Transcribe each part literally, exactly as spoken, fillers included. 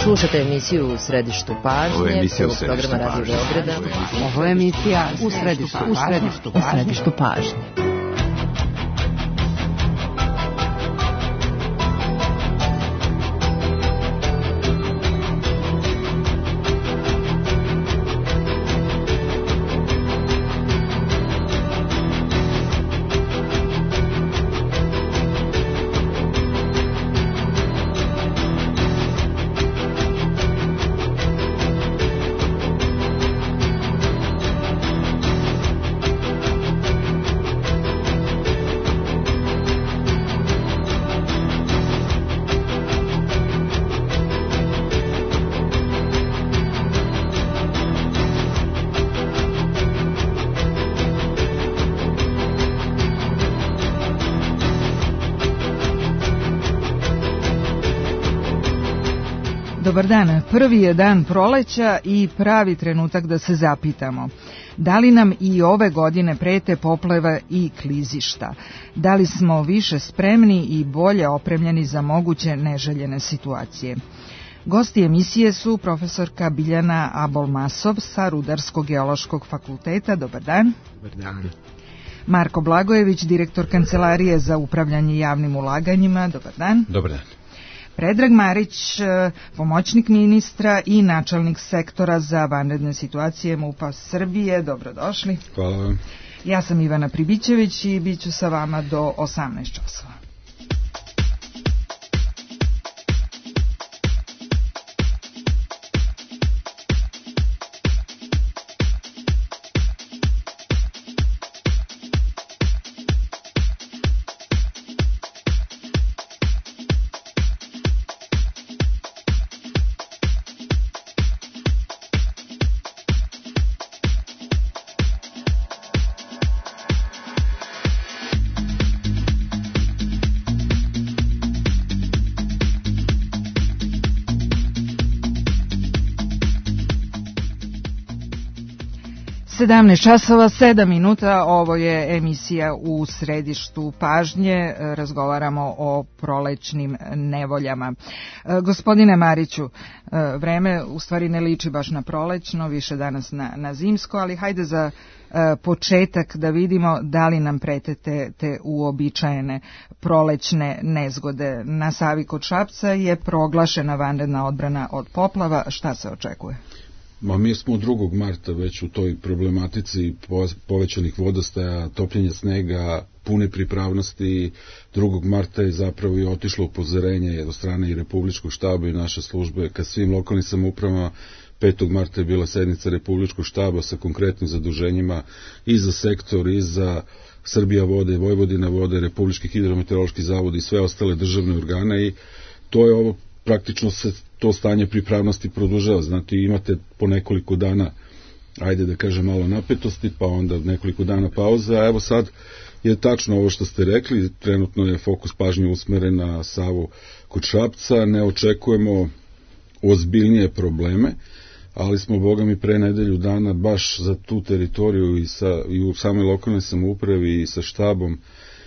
Slušate emisiju U središtu pažnje, prvog programa Radio Beograda. Ovo je emisija U središtu pažnje. U središtu pažnje. Dobar dan, prvi je dan proleća i pravi trenutak da se zapitamo. Da li nam i ove godine prete poplava i klizišta? Da li smo više spremni i bolje opremljeni za moguće neželjene situacije? Gosti emisije su profesorka Biljana Abolmasov sa Rudarsko-geološkog fakulteta. Dobar dan. Dobar dan. Marko Blagojević, direktor Kancelarije za upravljanje javnim ulaganjima. Dobar dan. Dobar dan. Predrag Marić, pomoćnik ministra i načelnik sektora za vanredne situacije MUP-a Srbije. Dobrodošli. Hvala vam. Ja sam Ivana Pribićević i bit ću sa vama do osamnaest časova. sedamnaest časova, sedam minuta, ovo je emisija U središtu pažnje, razgovaramo o prolećnim nevoljama. Gospodine Mariću, vreme u stvari ne liči baš na prolećno, više danas na, na zimsko, ali hajde za početak da vidimo da li nam prete te, te uobičajene prolećne nezgode. Na Savi kod Šapca je proglašena vanredna odbrana od poplava, šta se očekuje? Ma mi smo drugog marta već u toj problematici povećanih vodostaja, topljenja snega, pune pripravnosti. drugog marta je zapravo i otišlo upozorenje od strane i Republičkog štaba i naše službe ka svim lokalnim samoupravama. petog marta je bila sednica Republičkog štaba sa konkretnim zaduženjima i za sektor, i za Srbija vode, Vojvodina vode, Republički hidrometeorološki zavod i sve ostale državne organe, i to je ovo, praktično se to stanje pripravnosti produžava. Znate, imate po nekoliko dana, ajde da kažem, malo napetosti, pa onda nekoliko dana pauza, a evo sad je tačno ovo što ste rekli, trenutno je fokus pažnje usmeren na Savu kod Šapca, ne očekujemo ozbiljnije probleme, ali smo, boga mi, pre nedelju dana baš za tu teritoriju i, sa, i u samoj lokalnoj samoupravi i sa štabom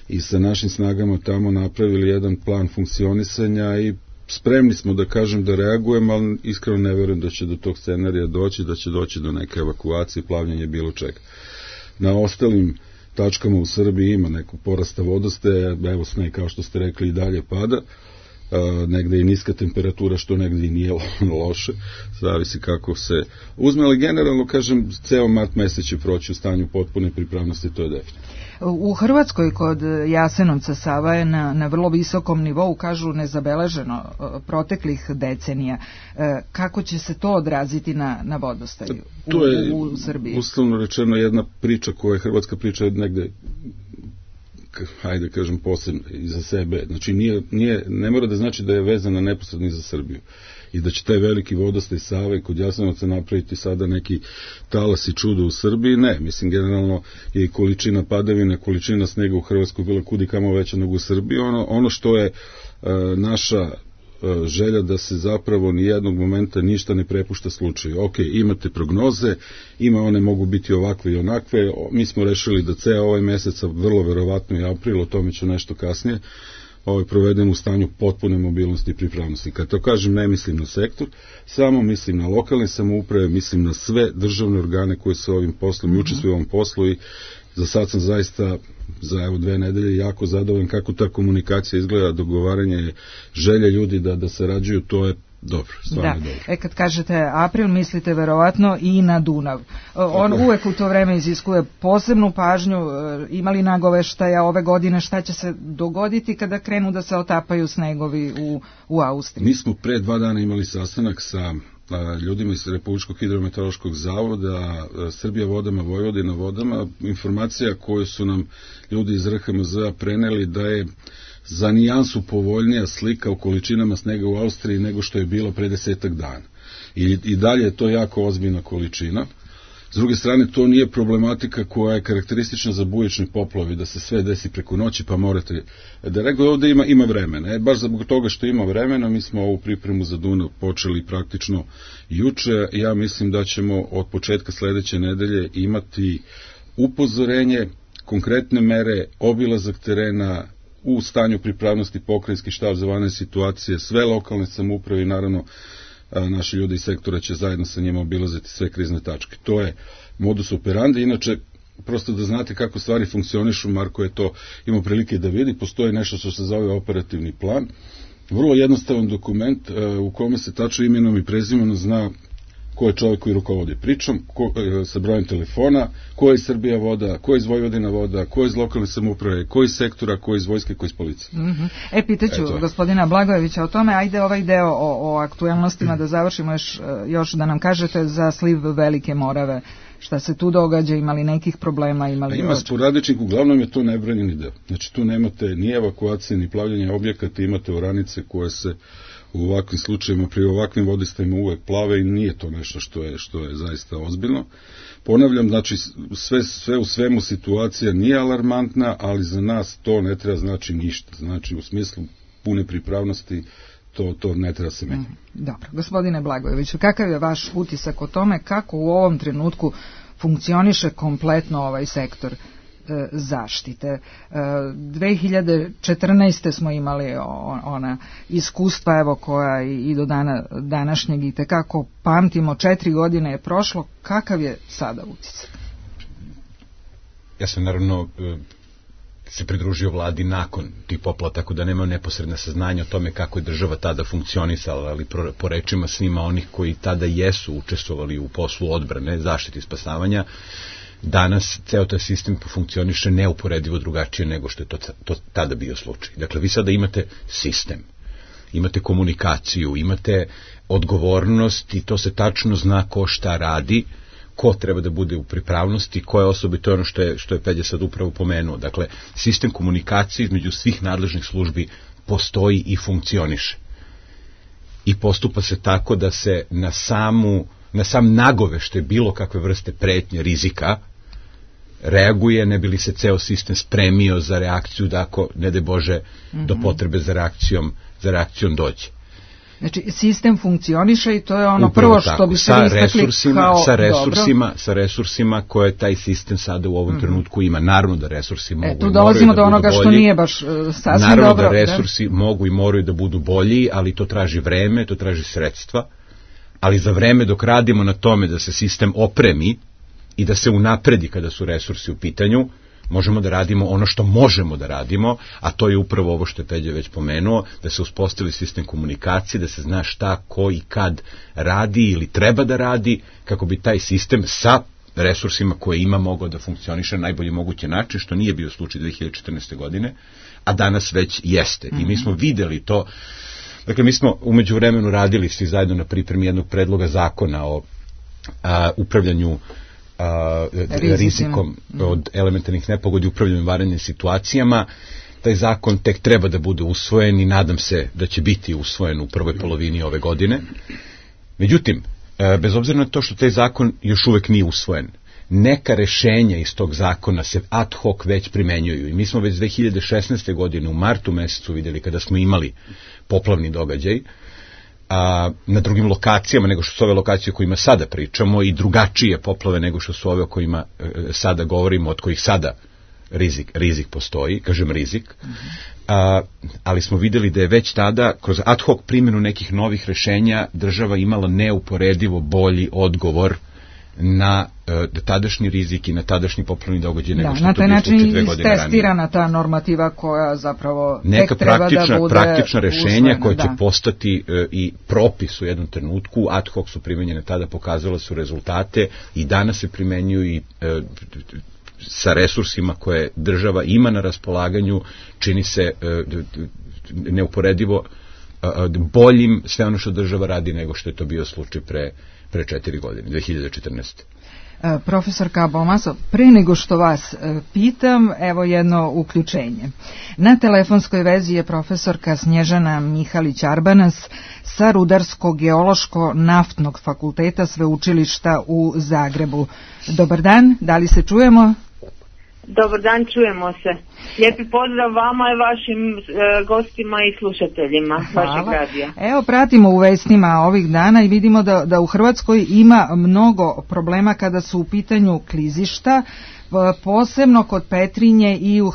i sa našim snagama tamo napravili jedan plan funkcionisanja i spremni smo, da kažem, da reagujemo, ali iskreno ne verujem da će do tog scenarija doći, da će doći do neke evakuacije, plavljanja, bilo čega. Na ostalim tačkama u Srbiji ima nekog porasta vodostaja, evo sneg, kao što ste rekli, i dalje pada, Uh, negde je niska temperatura, što negde i nije loše, zavisi kako se uzme, ali generalno, kažem, ceo mart mesec će proći u stanju potpune pripravnosti, to je definitivno. U Hrvatskoj kod Jasenovca Sava je na, na vrlo visokom nivou, kažu nezabeleženo proteklih decenija. Kako će se to odraziti na, na vodostaju u, to je, u, u Srbiji? Uslovno rečeno, jedna priča koja je hrvatska priča negde, hajde kažem, posebno i za sebe. Znači, nije, nije, ne mora da znači da je vezana neposredno i za Srbiju. I da će taj veliki vodostaj Save kod Jasenovca napraviti sada neki talas i čudo u Srbiji. Ne, mislim, generalno je i količina padavine, količina snega u Hrvatskoj bila kudi kamo veća nego u Srbiji. Ono, ono što je e, naša e, želja da se zapravo ni jednog momenta ništa ne prepušta slučaju. Ok, imate prognoze, ima one mogu biti ovakve i onakve. Mi smo rešili da ceo ovaj mesec, vrlo verovatno i april, o tome ću nešto kasnije, ovaj, provedemo u stanju potpune mobilnosti i pripravnosti. Kad to kažem, ne mislim na sektor, samo mislim na lokalne samouprave, mislim na sve državne organe koje se ovim poslom i učestvuju u ovom poslu i za sad sam zaista za evo dve nedelje jako zadovoljan kako ta komunikacija izgleda, dogovaranje želje ljudi da, da sarađuju, to je dobro, stvarno da. dobro. E kad kažete april, mislite verovatno i na Dunav. On okay. uvek u to vreme iziskuje posebnu pažnju, imali nagoveštaja ove godine šta će se dogoditi kada krenu da se otapaju snegovi u, u Austriji? Mi smo pre dva dana imali sastanak sa a, ljudima iz Republičkog hidrometeorološkog zavoda, a, Srbija vodama, Vojvodina vodama, informacija koju su nam ljudi iz R H M Z-a preneli da je za nijansu povoljnija slika u količinama snega u Austriji nego što je bilo pre desetak dana. I, i dalje je to jako ozbiljna količina. S druge strane, to nije problematika koja je karakteristična za bujične poplave, da se sve desi preko noći, pa morate da reagujete. Ovde ima, ima vremena. E, baš zbog toga što ima vremena, mi smo ovu pripremu za Dunav počeli praktično juče. Ja mislim da ćemo od početka sledeće nedelje imati upozorenje, konkretne mere, obilazak terena, u stanju pripravnosti pokrajinski štab za vanredne situacije, sve lokalne samouprave i naravno naši ljudi iz sektora će zajedno sa njima obilaziti sve krizne tačke. To je modus operandi. Inače, prosto da znate kako stvari funkcionišu, Marko je to imao prilike da vidi, postoji nešto što se zove operativni plan. Vrlo jednostavan dokument u kome se tačno imenom i prezimenom zna ko je čovjek koji rukovodi pričom, ko, e, sa brojem telefona, ko je iz Srbija voda, ko je iz Vojvodina voda, ko je iz lokalne samouprave, ko je iz sektora, ko je iz vojske, ko je iz policije. Mm-hmm. E, pitaću e, gospodina Blagojevića o tome, ajde ovaj deo o, o aktuelnostima da završimo još, još da nam kažete za sliv Velike Morave, šta se tu događa, imali nekih problema, imali... Ima sporadičnih, uglavnom je to nebranjeni deo. Znači tu nemate ni evakuacije, ni plavljanja objekata, imate oranice koje se u ovakvim slučajima, pri ovakvim vodistajima uvek plave i nije to nešto što je, što je zaista ozbiljno. Ponavljam, znači sve, sve u svemu situacija nije alarmantna, ali za nas to ne treba znači ništa. Znači u smislu pune pripravnosti to, to ne treba se menjati. Dobro. Gospodine Blagojeviću, kakav je vaš utisak o tome kako u ovom trenutku funkcioniše kompletno ovaj sektor zaštite? dve hiljade četrnaeste. smo imali ona iskustva, evo, koja i do dana današnjeg i tekako pamtimo, četiri godine je prošlo, kakav je sada utisak? Ja sam naravno se pridružio vladi nakon tih poplava, tako da nema neposredna saznanja o tome kako je država tada funkcionisala, ali po rečima svima onih koji tada jesu učestvovali u poslu odbrane, zaštiti i spasavanja, danas ceo taj sistem funkcioniše neuporedivo drugačije nego što je to, to tada bio slučaj. Dakle, vi sada imate sistem, imate komunikaciju, imate odgovornost i to se tačno zna ko šta radi, ko treba da bude u pripravnosti, koje osobe, to je ono što je, što je Peđa sad upravo pomenuo. Dakle, sistem komunikacije između svih nadležnih službi postoji i funkcioniše. I postupa se tako da se na samu na sam nagovešte bilo kakve vrste pretnje, rizika, reaguje, ne bi li se ceo sistem spremio za reakciju, da ako, ne de Bože, mm-hmm. do potrebe za reakcijom, za reakcijom dođe. Znači, sistem funkcioniše i to je ono upravo prvo što tako, bi se istakli kao sa resursima, dobro. Sa resursima koje taj sistem sada u ovom mm-hmm. trenutku ima. Naravno da resursi mogu e, tu i dolazimo do onoga što nije baš uh, sasvim naravno dobro. Naravno da resursi da? mogu i moraju da budu bolji, ali to traži vreme, to traži sredstva. Ali za vreme dok radimo na tome da se sistem opremi i da se unapredi kada su resursi u pitanju, možemo da radimo ono što možemo da radimo, a to je upravo ovo što je Peđa već pomenuo, da se uspostavi sistem komunikacije, da se zna šta, ko i kad radi ili treba da radi, kako bi taj sistem sa resursima koje ima mogao da funkcioniše na najbolji mogući način, što nije bio slučaj dve hiljade četrnaeste. godine, a danas već jeste. I mi smo videli to. Dakle, mi smo umeđu vremenu radili svi zajedno na pripremi jednog predloga zakona o a, upravljanju a, rizikom od elementarnih nepogodi, upravljanju vanrednim situacijama. Taj zakon tek treba da bude usvojen i nadam se da će biti usvojen u prvoj polovini ove godine. Međutim, a, bez obzira na to što taj zakon još uvek nije usvojen, neka rešenja iz tog zakona se ad hoc već primenjuju i mi smo već dve hiljade šesnaeste. godine u martu mesecu videli kada smo imali poplavni događaj a, na drugim lokacijama nego što su ove lokacije o kojima sada pričamo i drugačije poplave nego što su ove o kojima e, sada govorimo, od kojih sada rizik, rizik postoji, kažem rizik, mm-hmm. A, ali smo videli da je već tada kroz ad hoc primjenu nekih novih rešenja država imala neuporedivo bolji odgovor na uh, tadašnji rizik i na tadašnji poplavni događaj nego da, što to bio slučaj dve godine ranije. Na taj način istestirana ta normativa koja zapravo neka tek treba da bude praktična rešenja usvojena, koja da. će postati uh, i propis u jednom trenutku, ad hoc su primenjene tada, pokazala su rezultate i danas se primenjuju i uh, sa resursima koje država ima na raspolaganju, čini se uh, neuporedivo uh, boljim sve ono što država radi nego što je to bio slučaj pre pre četiri godine, dve hiljade četrnaeste. Profesorka Balmasov, pre nego što vas pitam, evo jedno uključenje. Na telefonskoj vezi je profesorka Snježana Mihalić-Arbanas sa Rudarsko-geološko-naftnog fakulteta Sveučilišta u Zagrebu. Dobar dan, da li se čujemo? Dobar dan, čujemo se. Lijepi pozdrav vama i vašim e, gostima i slušateljima vašeg radija. Evo, pratimo u vestima ovih dana i vidimo da, da u Hrvatskoj ima mnogo problema kada su u pitanju klizišta, posebno kod Petrinje i u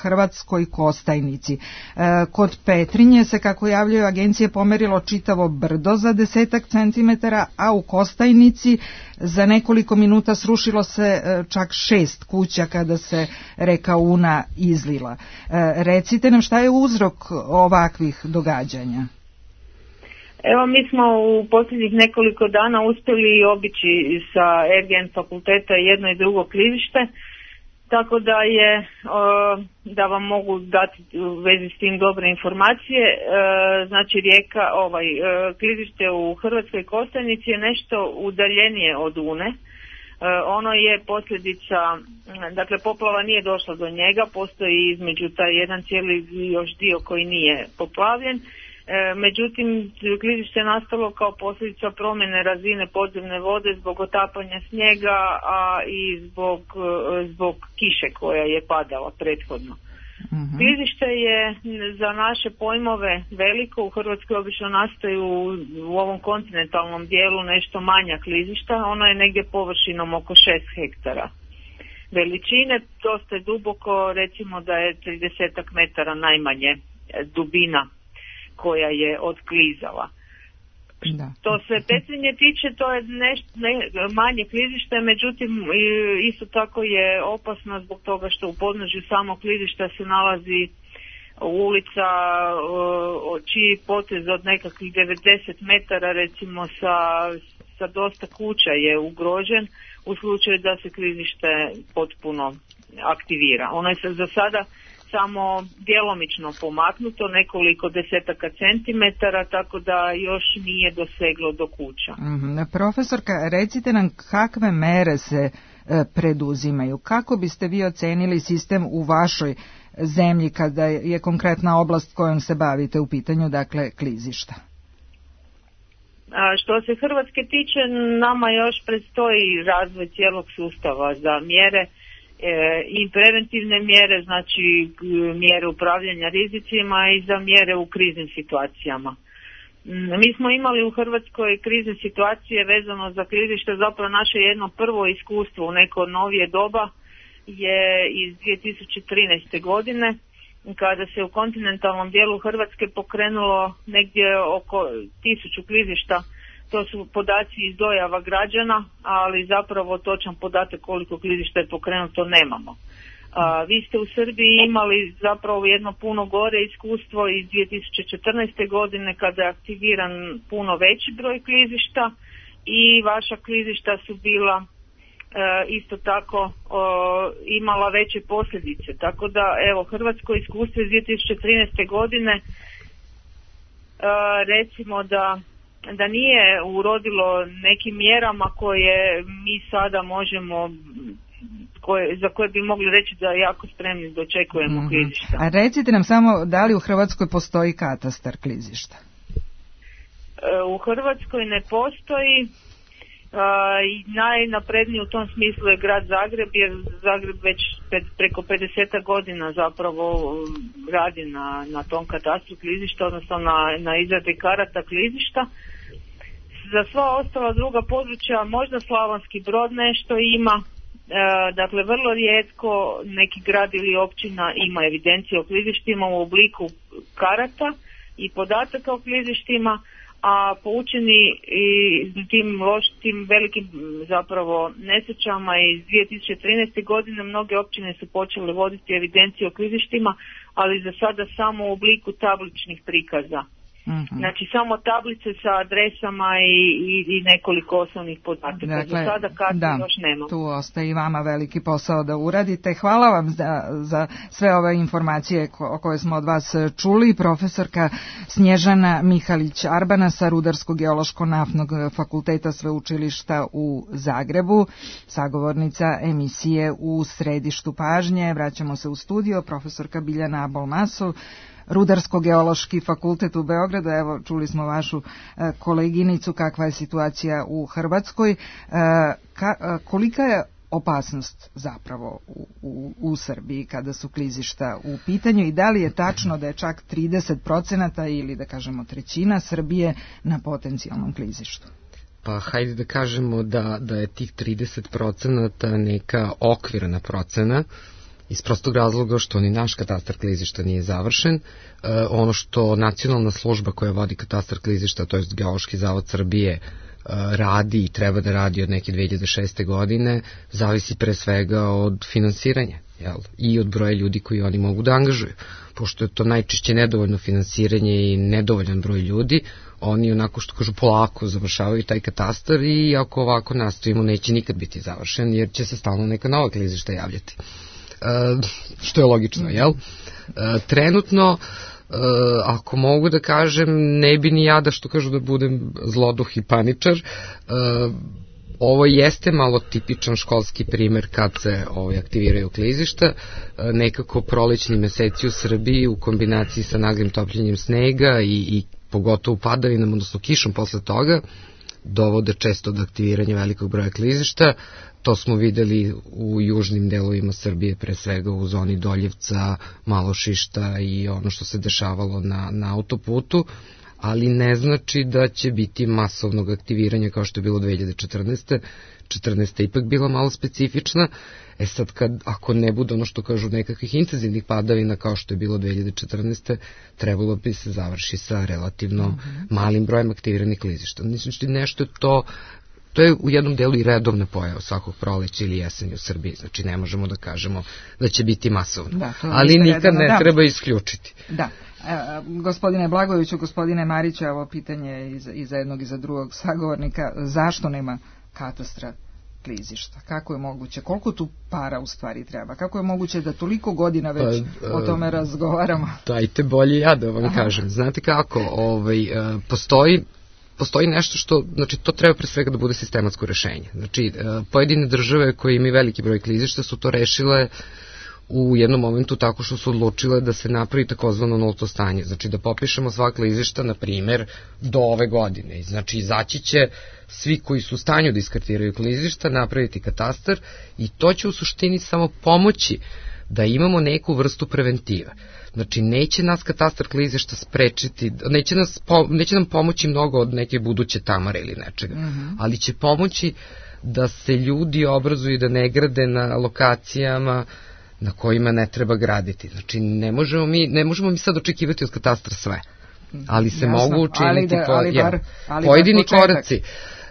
Hrvatskoj Kostajnici. Kod Petrinje se, kako javljaju agencije, pomerilo čitavo brdo za desetak centimetara, a u Kostajnici za nekoliko minuta srušilo se čak šest kuća kada se reka Una izlila. Recite nam šta je uzrok ovakvih događanja? Evo, mi smo u posljednjih nekoliko dana uspjeli obići sa R G N fakulteta jedno i drugo klizište, tako da je, da vam mogu dati u vezi s tim dobre informacije. Znači, rijeka, ovaj, klizište u Hrvatskoj Kostajnici je nešto udaljenije od Une. Ono je posljedica, dakle poplava nije došla do njega, postoji između taj jedan cijeli još dio koji nije poplavljen. Međutim, klizište je nastalo kao posljedica promjene razine podzemne vode zbog otapanja snijega, a i zbog, zbog kiše koja je padala prethodno. Uh-huh. Klizište je za naše pojmove veliko, u Hrvatskoj obično nastaju u ovom kontinentalnom dijelu nešto manja klizišta, ono je negdje površinom oko šest hektara veličine, dosta je duboko, recimo da je trideset metara najmanje dubina koja je otklizala. Da. To se Petrinje tiče, to je nešto ne, manje klizište, međutim isto tako je opasno zbog toga što u podnožju samog klizišta se nalazi ulica čiji potez od nekakvih devedeset metara recimo sa, sa dosta kuća je ugrožen u slučaju da se klizište potpuno aktivira. Ono je za sada samo djelomično pomaknuto, nekoliko desetaka centimetara, tako da još nije doseglo do kuća. Mm-hmm. Profesorka, recite nam kakve mere se e, preduzimaju? Kako biste vi ocenili sistem u vašoj zemlji kada je konkretna oblast kojom se bavite u pitanju, dakle, klizišta? A što se Hrvatske tiče, nama još predstoji razvoj cijelog sustava za mjere i preventivne mjere, znači mjere upravljanja rizicima i za mjere u kriznim situacijama. Mi smo imali u Hrvatskoj krizne situacije vezano za klizište, zapravo naše jedno prvo iskustvo u neko novije doba je iz dvije tisuće trinaeste. godine, kada se u kontinentalnom dijelu Hrvatske pokrenulo negdje oko tisuću klizišta. To su podaci iz dojava građana, ali zapravo točan podatak koliko klizišta je pokrenuto nemamo. A, vi ste u Srbiji imali zapravo jedno puno gore iskustvo iz dvije tisuće četrnaeste. godine kada je aktiviran puno veći broj klizišta i vaša klizišta su bila e, isto tako o, imala veće posljedice. Tako da evo, hrvatsko iskustvo iz dvije tisuće trinaeste. godine e, recimo da da nije urodilo nekim mjerama koje mi sada možemo, koje, za koje bi mogli reći da jako spremni dočekujemo mm-hmm. klizišta. A recite nam samo, da li u Hrvatskoj postoji katastar klizišta? E, u Hrvatskoj ne postoji. E, najnapredniji u tom smislu je grad Zagreb, jer Zagreb već pred, preko pedeset godina zapravo radi na, na tom katastru klizišta, odnosno na, na izradi karata klizišta. Za sva ostala druga područja možda Slavonski Brod nešto ima, dakle vrlo rijetko neki grad ili općina ima evidencije o klizištima u obliku karata i podataka o klizištima, a poučeni i tim loš, tim velikim zapravo nesrećama iz dvije tisuće trinaeste. godine mnoge općine su počele voditi evidencije o klizištima, ali za sada samo u obliku tabličnih prikaza. Mm-hmm. Znači samo tablice sa adresama i, i, i nekoliko osnovnih podataka. Dakle, za sada kartu da, još nema. Tu ostaje i vama veliki posao da uradite. Hvala vam za, za sve ove informacije ko, koje smo od vas čuli. Profesorka Snježana Mihalić-Arbana sa Rudarsko-geološko-naftnog fakulteta Sveučilišta u Zagrebu, sagovornica emisije U središtu pažnje. Vraćamo se u studio. Profesorka Biljana Abol-Masov, Rudarsko-geološki fakultet u Beogradu. Evo, čuli smo vašu e, koleginicu kakva je situacija u Hrvatskoj. E, ka, e, kolika je opasnost zapravo u, u, u Srbiji kada su klizišta u pitanju i da li je tačno da je čak trideset procenata ili da kažemo trećina Srbije na potencijalnom klizištu? Pa hajde da kažemo da, da je tih trideset procenata neka okvirna procena, iz prostog razloga što ni naš katastar klizišta nije završen. E, ono što nacionalna služba koja vodi katastar klizišta, to je Geološki zavod Srbije, e, radi i treba da radi od neke dve hiljade šeste. godine, zavisi pre svega od finansiranja, jel? I od broja ljudi koji oni mogu da angažuju. Pošto je to najčešće nedovoljno finansiranje i nedovoljan broj ljudi, oni onako što kažu polako završavaju taj katastar i ako ovako nastavimo neće nikad biti završen jer će se stalno neka nova klizišta javljati. Uh, što je logično, jel? Uh, trenutno, uh, ako mogu da kažem, ne bi ni ja da što kažu da budem zloduh i paničar, uh, ovo jeste malo tipičan školski primer kad se ovaj, aktiviraju klizišta, uh, nekako prolećni meseci u Srbiji u kombinaciji sa naglim topljenjem snega i, i pogotovo padavinom, odnosno kišom posle toga, dovode često do aktiviranja velikog broja klizišta. To smo videli u južnim delovima Srbije, pre svega u zoni Doljevca, Malošišta i ono što se dešavalo na, na autoputu, ali ne znači da će biti masovnog aktiviranja kao što je bilo dve hiljade četrnaeste. četrnaesta ipak bila malo specifična. E sad, kad, ako ne bude ono što kažu nekakvih intenzivnih padavina kao što je bilo dve hiljade četrnaeste. trebalo bi se završi sa relativno mm-hmm. malim brojem aktiviranih klizišta. Znači, nešto je to To je u jednom delu i redovna pojava svakog proleća ili jesenja u Srbiji, znači ne možemo da kažemo da će biti masovno, da, ali nikad redovno, ne da. treba isključiti. Da. E, gospodine Blagojeviću, gospodine Mariću, evo pitanje i za, i za jednog i za drugog sagovornika, zašto nema katastra klizišta? Kako je moguće? Koliko tu para u stvari treba? Kako je moguće da toliko godina već pa, o tome razgovaramo? Dajte bolje ja da vam Aha. kažem. Znate kako, ovaj, postoji Postoji nešto što, znači to treba pre svega da bude sistematsko rešenje. Znači, pojedine države koje imaju veliki broj klizišta su to rešile u jednom momentu tako što su odlučile da se napravi takozvano nulto stanje. Znači da popišemo sva klizišta, na primer, do ove godine. Znači, izaći će svi koji su u stanju da iskartiraju klizišta, napraviti katastar i to će u suštini samo pomoći da imamo neku vrstu preventive. Znači, neće nas katastar klizišta sprečiti, neće, nas, neće nam pomoći mnogo od neke buduće tamare ili nečega, mm-hmm. ali će pomoći da se ljudi obrazuju i da ne grade na lokacijama na kojima ne treba graditi. Znači, ne možemo mi, ne možemo mi sad očekivati od katastra sve, ali se Jasno, mogu učiniti ali da, ali po, bar, ali pojedini koraci.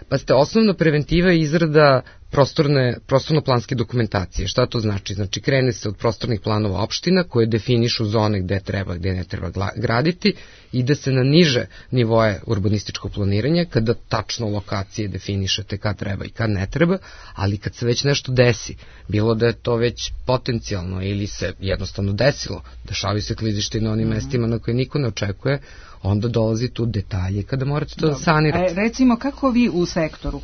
Pa ste, osnovna preventiva je izrada prostorne, prostorno-planske dokumentacije. Šta to znači? Znači, krene se od prostornih planova opština koje definišu zone gde treba, gde ne treba graditi, ide se na niže nivoje urbanističkog planiranja, kada tačno lokacije definišete kad treba i kad ne treba, ali kad se već nešto desi, bilo da je to već potencijalno ili se jednostavno desilo, dešavaju se klizište na onim mm-hmm. mestima na koje niko ne očekuje, onda dolazi tu detalje kada morate to da sanirate. E, recimo, kako vi u sektoru,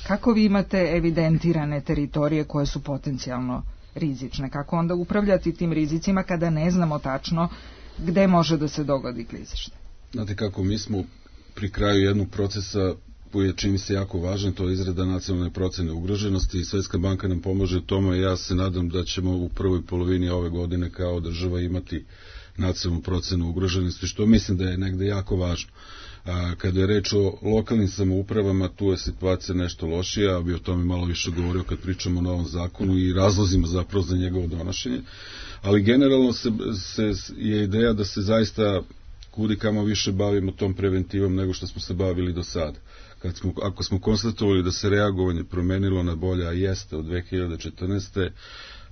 kako vi imate evidentirane teritorije koje su potencijalno rizične? Kako onda upravljati tim rizicima kada ne znamo tačno gde može da se dogodi klizište? Znate kako, mi smo pri kraju jednog procesa koji je, čini se, jako važan, to je izrada nacionalne procene ugroženosti i Svetska banka nam pomaže u tome i ja se nadam da ćemo u prvoj polovini ove godine kao država imati nacionalnu procenu ugroženosti, što mislim da je negde jako važno. A kada je reč o lokalnim samoupravama, tu je situacija nešto lošija, ja bi o tome malo više govorio kad pričamo o novom zakonu i razlozima zapravo za njegovo donošenje, ali generalno se, se je ideja da se zaista kudi kamo više bavimo tom preventivom nego što smo se bavili do sada. Kad smo, ako smo konstatovali da se reagovanje promenilo na bolje, a jeste od dve hiljade četrnaeste.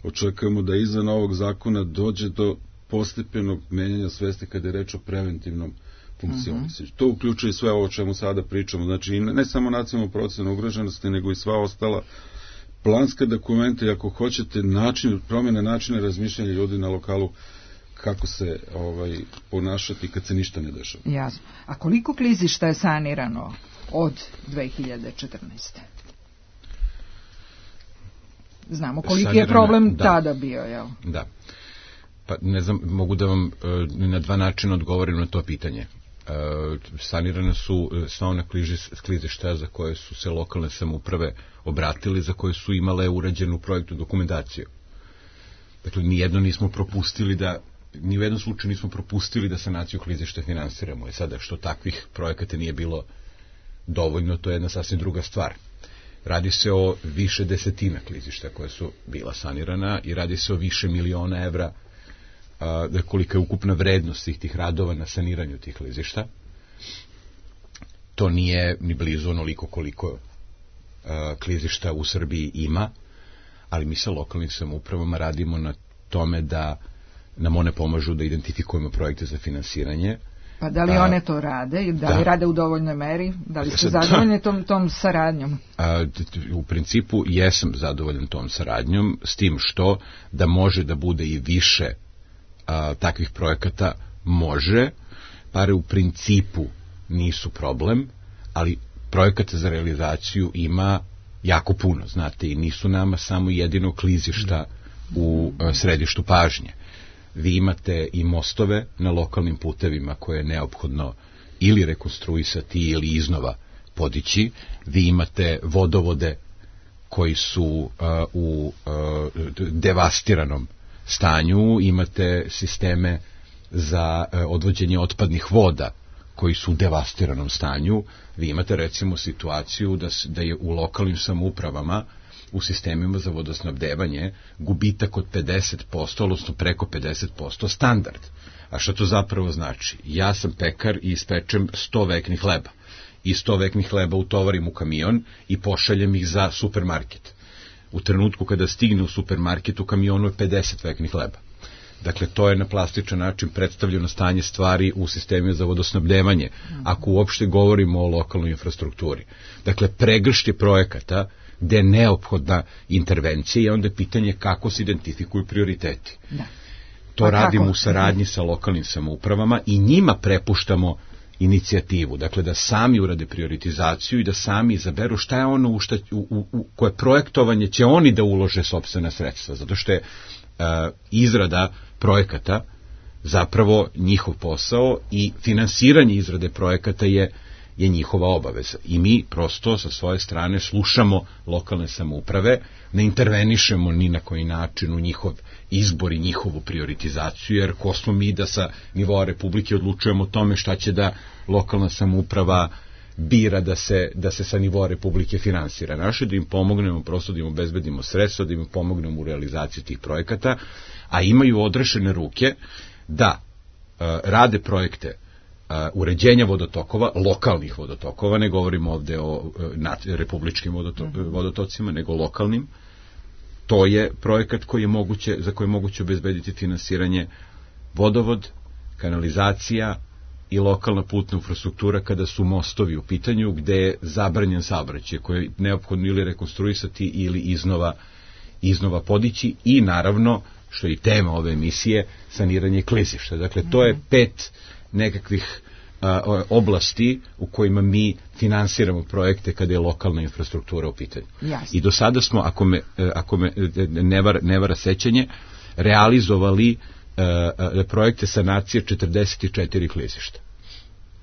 očekujemo da izvan ovog zakona dođe do postepenog menjanja svesti kada je reč o preventivnom funkcionisanju. Uh-huh. To uključuje sve ovo o čemu sada pričamo, znači ne samo nacionalnu procenu ugroženosti, nego i sva ostala planska dokumenta i ako hoćete način, promjene načina razmišljanja ljudi na lokalu kako se ovaj ponašati kad se ništa ne dešava. Jasno. A koliko klizišta je sanirano od dve hiljade četrnaeste. Znamo koliki Sanirana, je problem da, tada bio, jel? Da. Pa ne znam, mogu da vam na dva načina odgovorim na to pitanje. Sanirana su sva ona klizišta za koje su se lokalne samouprave obratili, za koje su imale urađenu projektnu dokumentaciju. Dakle, nijedno nismo propustili da ni u jednom slučaju nismo propustili da sanaciju klizišta finansiramo. I sada, što takvih projekata nije bilo dovoljno, to je jedna sasvim druga stvar. Radi se o više desetina klizišta koja su bila sanirana i radi se o više miliona evra, a, da kolika je ukupna vrednost svih tih radova na saniranju tih klizišta. To nije ni blizu onoliko koliko a, klizišta u Srbiji ima, ali mi sa lokalnim samoupravama radimo na tome da nam one pomažu da identifikujemo projekte za finansiranje. Pa da li a, one to rade i da li da. rade u dovoljnoj meri? Da li ste zadovoljni tom, tom saradnjom? A, u principu jesam zadovoljan tom saradnjom, s tim što da može da bude i više a, takvih projekata može. Pare u principu nisu problem, ali projekata za realizaciju ima jako puno, znate, i nisu nama samo jedino klizišta u a, središtu pažnje. Vi imate i mostove na lokalnim putevima koje je neophodno ili rekonstruisati ili iznova podići. Vi imate vodovode koji su uh, u uh, devastiranom stanju, imate sisteme za uh, odvođenje otpadnih voda koji su u devastiranom stanju. Vi imate recimo situaciju da, da je u lokalnim samoupravama u sistemima za vodosnabdevanje gubitak od pedeset posto, odnosno preko pedeset posto standard. A što to zapravo znači? Ja sam pekar i ispečem sto veknih hleba. I sto veknih hleba utovarim u kamion i pošaljem ih za supermarket. U trenutku kada stigne u supermarket, u kamionu je pedeset veknih hleba. Dakle, to je na plastičan način predstavljeno stanje stvari u sistemima za vodosnabdevanje, ako uopšte govorimo o lokalnoj infrastrukturi. Dakle, pregršt je projekata gde je neophodna intervencija i onda je pitanje kako se identifikuju prioriteti. Da. To pa radimo kako? U saradnji sa lokalnim samoupravama i njima prepuštamo inicijativu, dakle da sami urade prioritizaciju i da sami izaberu šta je ono u, šta, u, u, u koje projektovanje će oni da ulože sopstvena sredstva, zato što je uh, izrada projekata zapravo njihov posao i finansiranje izrade projekata je je njihova obaveza. I mi prosto sa svoje strane slušamo lokalne samouprave, ne intervenišemo ni na koji način u njihov izbor i njihovu prioritizaciju, jer ko smo mi da sa nivoa Republike odlučujemo o tome šta će da lokalna samouprava bira da se, da se sa nivoa Republike finansira. Naše da im pomognemo, prosto da im obezbedimo sredstva, da im pomognemo u realizaciji tih projekata, a imaju odrešene ruke da uh, rade projekte Uh, uređenja vodotokova, lokalnih vodotokova, ne govorimo ovde o uh, nad, republičkim vodoto, uh, vodotocima, nego lokalnim. To je projekat koji je moguće, za koji je moguće obezbediti finansiranje vodovod, kanalizacija i lokalna putna infrastruktura kada su mostovi u pitanju gde je zabranjen saobraćaj koji je neophodno ili rekonstruisati ili iznova, iznova podići i naravno, što je i tema ove emisije, saniranje klizišta. Dakle, to je pet nekakvih a, oblasti u kojima mi finansiramo projekte kada je lokalna infrastruktura u pitanju. Jasne. I do sada smo, ako me, ako me ne, vara, ne vara sećanje, realizovali a, a, projekte sanacije četrdeset četiri klizišta.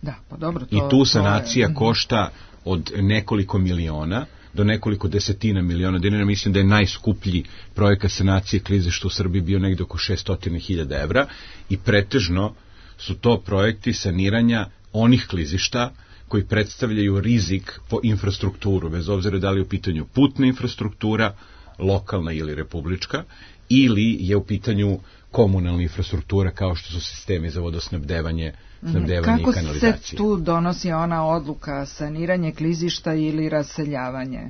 Da, pa dobro, to, I tu sanacija to je... košta od nekoliko miliona do nekoliko desetina miliona dinara. Mislim da je najskuplji projekat sanacije klizišta u Srbiji bio negde oko šesto hiljada evra i pretežno su to projekti saniranja onih klizišta koji predstavljaju rizik po infrastrukturu, bez obzira da li je u pitanju putna infrastruktura, lokalna ili republička, ili je u pitanju komunalna infrastruktura kao što su sistemi za vodosnabdevanje, snabdevanje i kanalizacije. Kako se tu donosi ona odluka, saniranje klizišta ili raseljavanje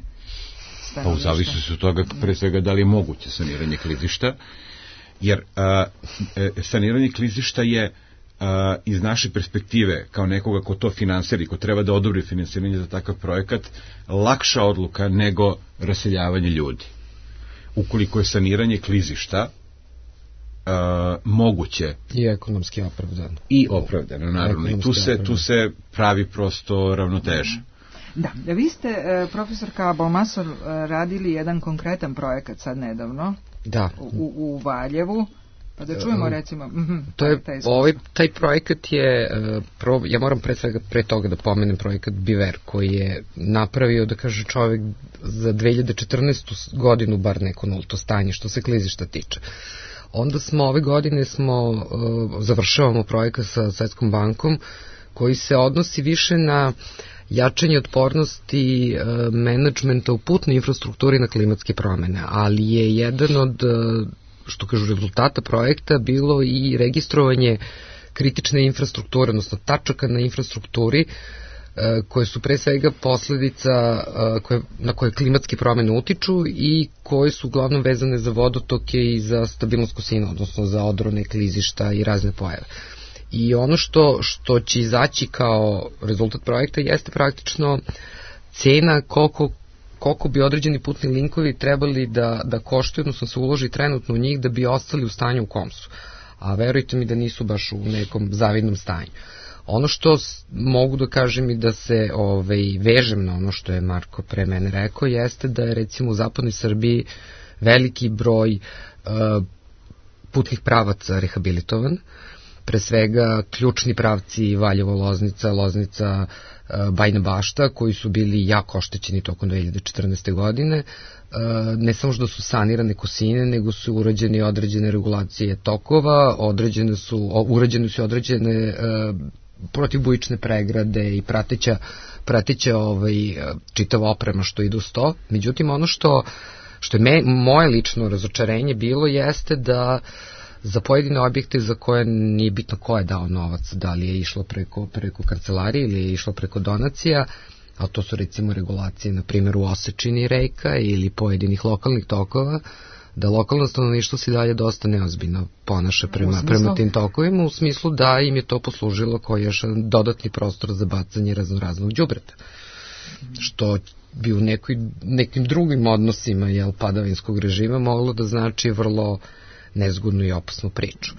stanovništva? Pa u zavisnosti od toga pre svega da li je moguće saniranje klizišta, jer a, e, saniranje klizišta je a, iz naše perspektive kao nekoga ko to finansira i ko treba da odobri finansiranje za takav projekat lakša odluka nego raseljavanje ljudi. Ukoliko je saniranje klizišta Uh, moguće i ekonomski opravdano i opravdano naravno i tu se, opravdano. tu se pravi prosto ravnoteža. Da, vi ste profesorka Balmasor radili jedan konkretan projekat sad nedavno da. u, u Valjevu, pa da čujemo recimo to je, ovaj, taj projekat je pro, ja moram pre svega pre toga da pomenem projekat Biver koji je napravio da kaže čovek za dve hiljade četrnaestu godinu bar neko nulto stanje što se klizišta tiče. Onda smo ove godine smo uh, završavamo projekat sa Svetskom bankom koji se odnosi više na jačanje otpornosti uh, menadžmenta u putnoj infrastrukturi na klimatske promene, ali je jedan od uh, što kažu rezultata projekta bilo i registrovanje kritične infrastrukture, odnosno tačaka na infrastrukturi koje su pre svega posledica koje, na koje klimatske promene utiču i koje su uglavnom vezane za vodotoke i za stabilnost kosina, odnosno za odrone, klizišta i razne pojave. I ono što, što će izaći kao rezultat projekta jeste praktično cena koliko, koliko bi određeni putni linkovi trebali da, da koštaju, odnosno se uloži trenutno u njih da bi ostali u stanju u kom su. A verujte mi da nisu baš u nekom zavidnom stanju. Ono što mogu da kažem i da se ovaj, vežem na ono što je Marko pre mene rekao, jeste da je recimo u zapadnoj Srbiji veliki broj uh, putnih pravaca rehabilitovan, pre svega ključni pravci Valjevo, Loznica, Loznica, uh, Bajina Bašta, koji su bili jako oštećeni tokom dve hiljade četrnaeste. godine, uh, ne samo što su sanirane kosine, nego su urađene određene regulacije tokova, određene su, urađene su određene uh, protivbujične pregrade i prateća, prateća ovaj, čitava oprema što ide uz to. Međutim, ono što, što je me, moje lično razočarenje bilo jeste da za pojedine objekte za koje nije bitno ko je dao novac, da li je išlo preko, preko kancelarije ili je išlo preko donacija, a to su recimo regulacije, na primjer u Osečini reka ili pojedinih lokalnih tokova, da lokalno stanovništvo se dalje dosta neozbiljno ponaša prema, prema tim tokovima, u smislu da im je to poslužilo kao još dodatni prostor za bacanje raznoraznog đubreta. Što bi u nekoj, nekim drugim odnosima jel, padavinskog režima moglo da znači vrlo nezgodnu i opasnu priču.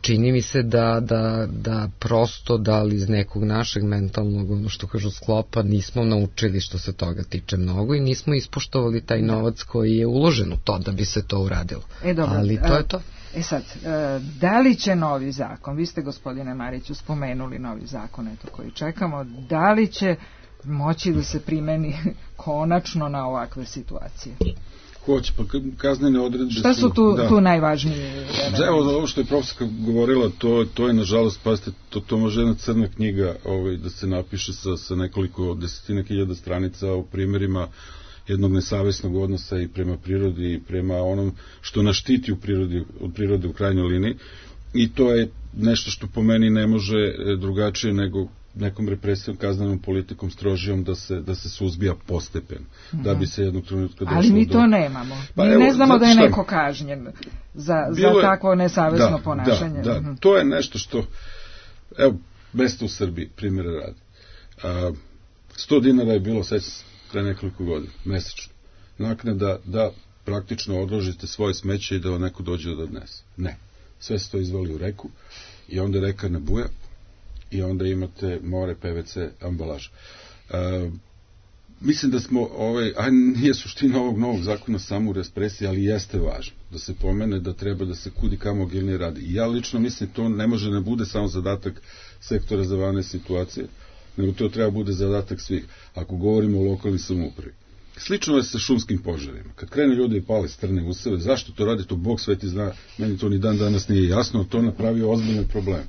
Čini mi se da, da, da prosto da li iz nekog našeg mentalnog, ono što kažu sklopa, nismo naučili što se toga tiče mnogo i nismo ispoštovali taj novac koji je uložen u to da bi se to uradilo. E, dobro, ali to je to. E sad, da li će novi zakon, vi ste gospodine Mariću spomenuli novi zakon eto, koji čekamo, da li će moći da se primeni konačno na ovakve situacije? Hoće, pa kaznene odredbe su... Šta su tu, da. tu najvažnije? Evo, ovo što je profesorka govorila, to, to je nažalost, pazite, to, to može jedna crna knjiga ovaj, da se napiše sa, sa nekoliko desetina hiljada stranica o primjerima jednog nesavesnog odnosa i prema prirodi i prema onom što nas štiti u prirodi, od prirode u krajnjoj liniji. I to je nešto što po meni ne može drugačije nego nekom represijom, kaznenom politikom strožijom da se, da se suzbija postepen, mm-hmm. da bi se jednog trenutka došlo do... Ali mi to do... nemamo. Pa, mi evo, ne znamo da je neko kažnjen za, za je... takvo nesavesno da, ponašanje. Da, da, mm-hmm. to je nešto što, evo, mesto u Srbiji, primjera radi. A, sto dinara je bilo sećam se pre nekoliko godina, mesečno. Naknada da praktično odložite svoje smeće i da vam neko dođe da odnese. Ne. Sve se to izvali u reku i onda reka nabuja i onda imate more P V C ambalaža. E, mislim da smo, ovaj, a nije suština ovog novog zakona samo u represiji, ali jeste važno da se pomene da treba da se kudi kamo agilnije radi. I ja lično mislim to ne može ne bude samo zadatak sektora za vanredne situacije, nego to treba bude zadatak svih. Ako govorimo o lokalnoj samoupravi. Slično je sa šumskim požarima. Kad krene ljudi i pale strne useve, zašto to radi, to Bog sveti zna, meni to ni dan danas nije jasno, to napravio ozbiljne probleme.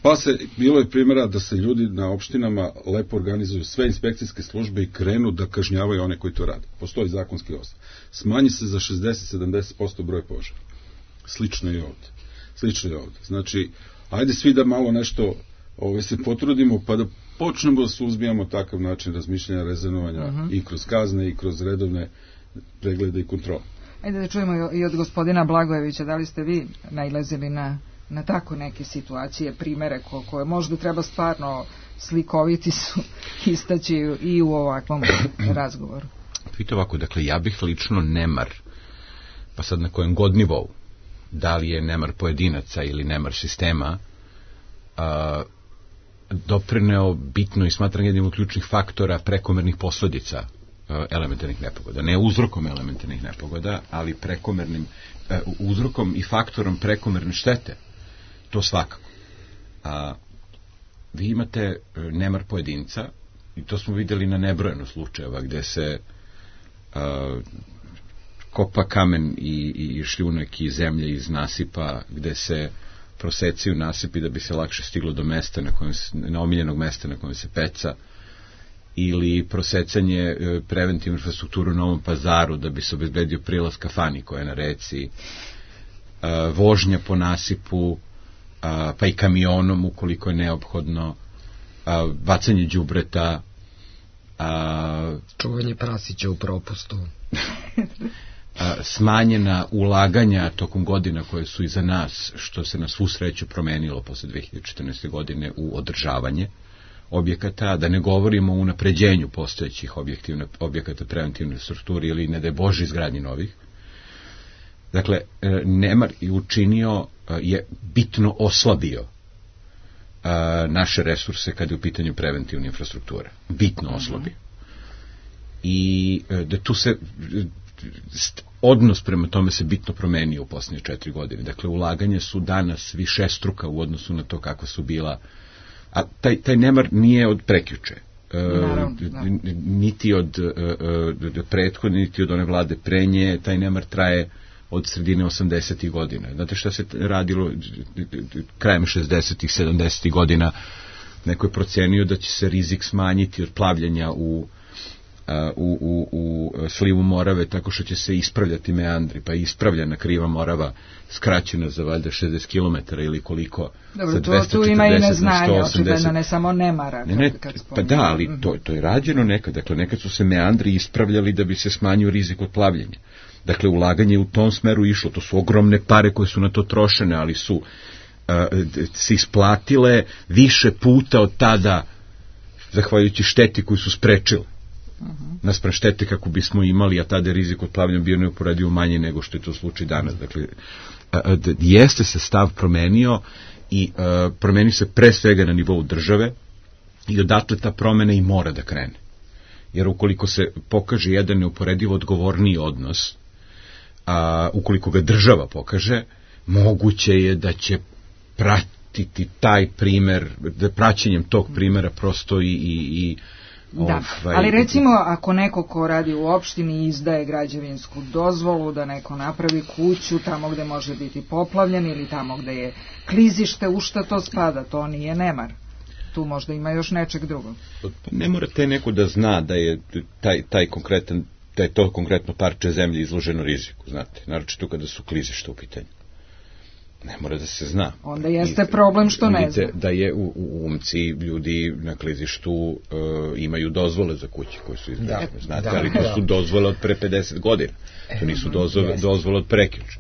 Pa se, bilo je primjera da se ljudi na opštinama lepo organizuju sve inspekcijske službe i krenu da kažnjavaju one koji to rade. Postoji zakonski osnov. Smanji se za šezdeset do sedamdeset posto broj požara. Slično i ovde. Slično i ovde. Znači, ajde svi da malo nešto ovaj, se potrudimo, pa da počnemo da suzbijamo takav način razmišljanja, rezonovanja uh-huh. i kroz kazne i kroz redovne preglede i kontrole. Ajde da čujemo i od gospodina Blagojevića, da li ste vi nailazili na, na tako neke situacije, primere ko, koje možda treba stvarno slikoviti su istaći i u ovakvom razgovoru. Vidite ovako, dakle, ja bih lično nemar, pa sad na kojem god nivou, da li je nemar pojedinaca ili nemar sistema, a, doprineo bitno i smatram jednim od ključnih faktora prekomernih posledica elementarnih nepogoda. Ne uzrokom elementarnih nepogoda, ali prekomernim e, uzrokom i faktorom prekomerne štete. To svakako. A, vi imate nemar pojedinca i to smo vidjeli na nebrojeno slučajeva gde se a, kopa kamen i, i šljunak i zemlje iz nasipa, gde se proseciju nasipi da bi se lakše stiglo do mesta na kojem se, na omiljenog mesta na kojem se peca, ili prosecanje preventivne infrastrukture u Novom Pazaru da bi se obezbedio prilaz kafani koja je na reci, vožnja po nasipu, pa i kamionom ukoliko je neophodno, bacanje đubreta, čuvanje prasića u propustu, smanjena ulaganja tokom godina koje su iza nas, što se na svu sreću promenilo posle dve hiljade četrnaeste. godine u održavanje objekata, da ne govorimo o unapređenju postojećih objekata preventivne infrastrukture ili ne daj Bože izgradnji novih. Dakle, nemar je učinio, je bitno oslabio naše resurse kada je u pitanju preventivne infrastrukture. Bitno oslabio. I da tu se odnos prema tome se bitno promenio u posljednje četiri godine. Dakle, ulaganje su danas višestruka u odnosu na to kako su bila. A taj, taj nemar nije od prekjuče. Naravno, e, niti od e, prethodne, niti od one vlade pre nje. Taj nemar traje od sredine osamdesetih godina. Znate šta se radilo krajem šezdesetih, sedamdesetih godina? Neko je procenio da će se rizik smanjiti od plavljanja u U, u, u slivu Morave tako što će se ispravljati meandri, pa je ispravljena kriva Morava skraćena za valjda šezdeset kilometara ili koliko. Dobro, to tu ima i neznanje, očigledno, ne samo nemara. Ne, ne, pa da, ali to, to je rađeno nekad. Dakle, nekad su se meandri ispravljali da bi se smanjio rizik od plavljenja. Dakle, ulaganje u tom smeru išlo. To su ogromne pare koje su na to trošene, ali su uh, se isplatile više puta od tada, zahvaljujući šteti koju su sprečile. Uh-huh. Naspram štete kako bismo imali, a tada je rizik od plavljenja bio neuporedivo manji nego što je to slučaj danas. Dakle, a, a, jeste se stav promenio i a, promenio se pre svega na nivou države i odatle ta promena i mora da krene. Jer ukoliko se pokaže jedan neuporedivo odgovorniji odnos, a, ukoliko ga država pokaže, moguće je da će pratiti taj primer, da praćenjem tog primera prosto i, i, i Da, ali recimo ako neko ko radi u opštini izdaje građevinsku dozvolu da neko napravi kuću tamo gde može biti poplavljen ili tamo gde je klizište, u šta to spada? To nije nemar. Tu možda ima još nečeg drugog. Ne morate neko da zna da je taj, taj konkretan, da je to konkretno parče zemlje izloženo riziku, znate, naročito kada su klizišta u pitanju. Ne mora da se zna. Onda jeste problem što ne zna. Da je u, u Umci ljudi na klizištu uh, imaju dozvole za kuće koje su izgrađene, da, znate, da, ali to da. su dozvole od pre pedeset godina. To nisu dozvole, dozvole od prekjuče.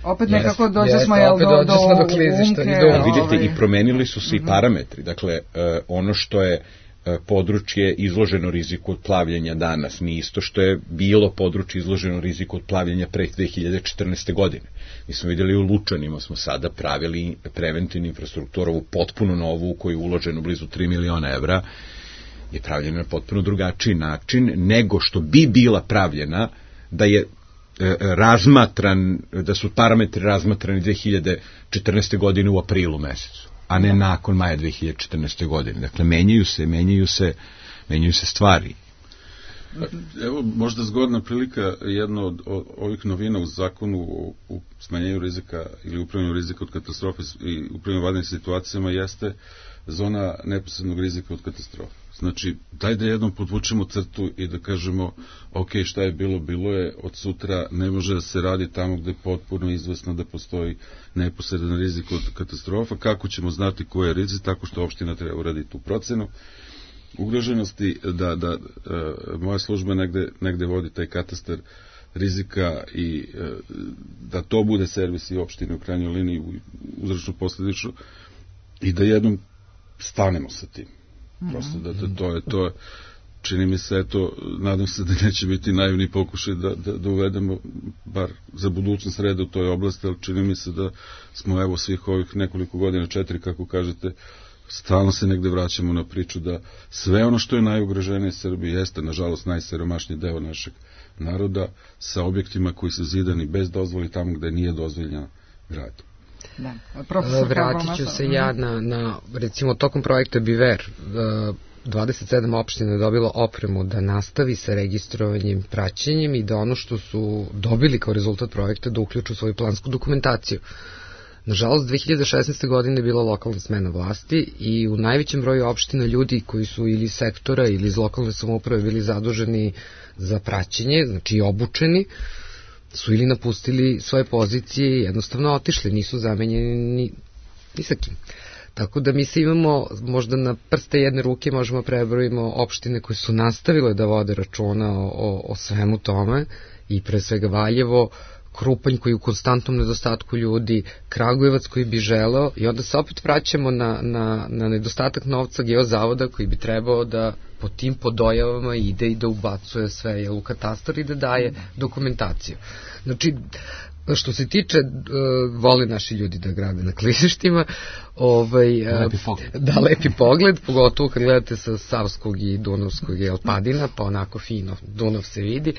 Opet nekako dođe smo jel do, do, do, do klizišta. Do, vidite, ovaj. I promenili su se i parametri. Dakle, uh, ono što je uh, područje izloženo riziku od plavljenja danas, nije isto što je bilo područje izloženo riziku od plavljenja pre dve hiljade četrnaeste. godine. Mi smo vidjeli u Lučanima, smo sada pravili preventivnu infrastrukturu potpuno novu, u koju je uloženo blizu tri miliona evra, je pravljena na potpuno drugačiji način nego što bi bila pravljena da je e, razmatran, da su parametri razmatrani dve hiljade četrnaeste. godine u aprilu mesecu, a ne nakon maja dve hiljade četrnaeste. godine. Dakle, menjaju se, menjaju se, menjaju se stvari. Evo, možda zgodna prilika, jedna od ovih novina u zakonu u smanjenju rizika ili upravljanju rizika od katastrofe i upravljanju vanrednim situacijama jeste zona neposrednog rizika od katastrofe. Znači, daj da jednom podvučemo crtu i da kažemo, ok, šta je bilo, bilo je, od sutra ne može da se radi tamo gde je potpuno izvesno da postoji neposredan rizik od katastrofa. Kako ćemo znati ko je rizik? Tako što opština treba uraditi tu procenu ugroženosti, da, da e, moja služba negde, negde vodi taj katastar rizika i e, da to bude servis i opštine u krajnjoj liniji uzročno posledično i da jednom stanemo sa tim. Prosto da to, to je to, čini mi se, eto, nadam se da neće biti naivni pokušaj da, da, da uvedemo bar za budućnost reda u toj oblasti, ali čini mi se da smo evo svih ovih nekoliko godina, četiri kako kažete, stalno se negde vraćamo na priču da sve ono što je najugroženije Srbiji jeste, nažalost, najsiromašniji deo našeg naroda sa objektima koji su zidani bez dozvoli tamo gde nije dozvoljena gradnja. Da. Vratit ću se ja na, na, recimo, tokom projekta Biver, dvadeset sedam opština je dobilo opremu da nastavi sa registrovanjem, praćenjem i da ono što su dobili kao rezultat projekta da uključu svoju plansku dokumentaciju. Nažalost, dve hiljade šesnaeste. godine je bila lokalna smena vlasti i u najvećem broju opština ljudi koji su ili iz sektora ili iz lokalne samouprave bili zaduženi za praćenje, znači obučeni, su ili napustili svoje pozicije i jednostavno otišli, nisu zamenjeni ni, ni sa kim. Tako da mi se imamo, možda na prste jedne ruke možemo prebrojimo opštine koje su nastavile da vode računa o, o, o svemu tome i pre svega Valjevo, Krupanj koji je u konstantnom nedostatku ljudi, Kragujevac koji bi želeo i onda se opet vraćamo na, na, na nedostatak novca Geozavoda koji bi trebao da po tim podojavama ide i da ubacuje sve u katastar i da daje dokumentaciju. Znači, što se tiče, uh, vole naši ljudi da grade na klizištima, ovaj, uh, lepi da, lepi pogled, pogotovo kad gledate sa Savskog i Dunavskog i Alpadina, pa onako fino Dunav se vidi.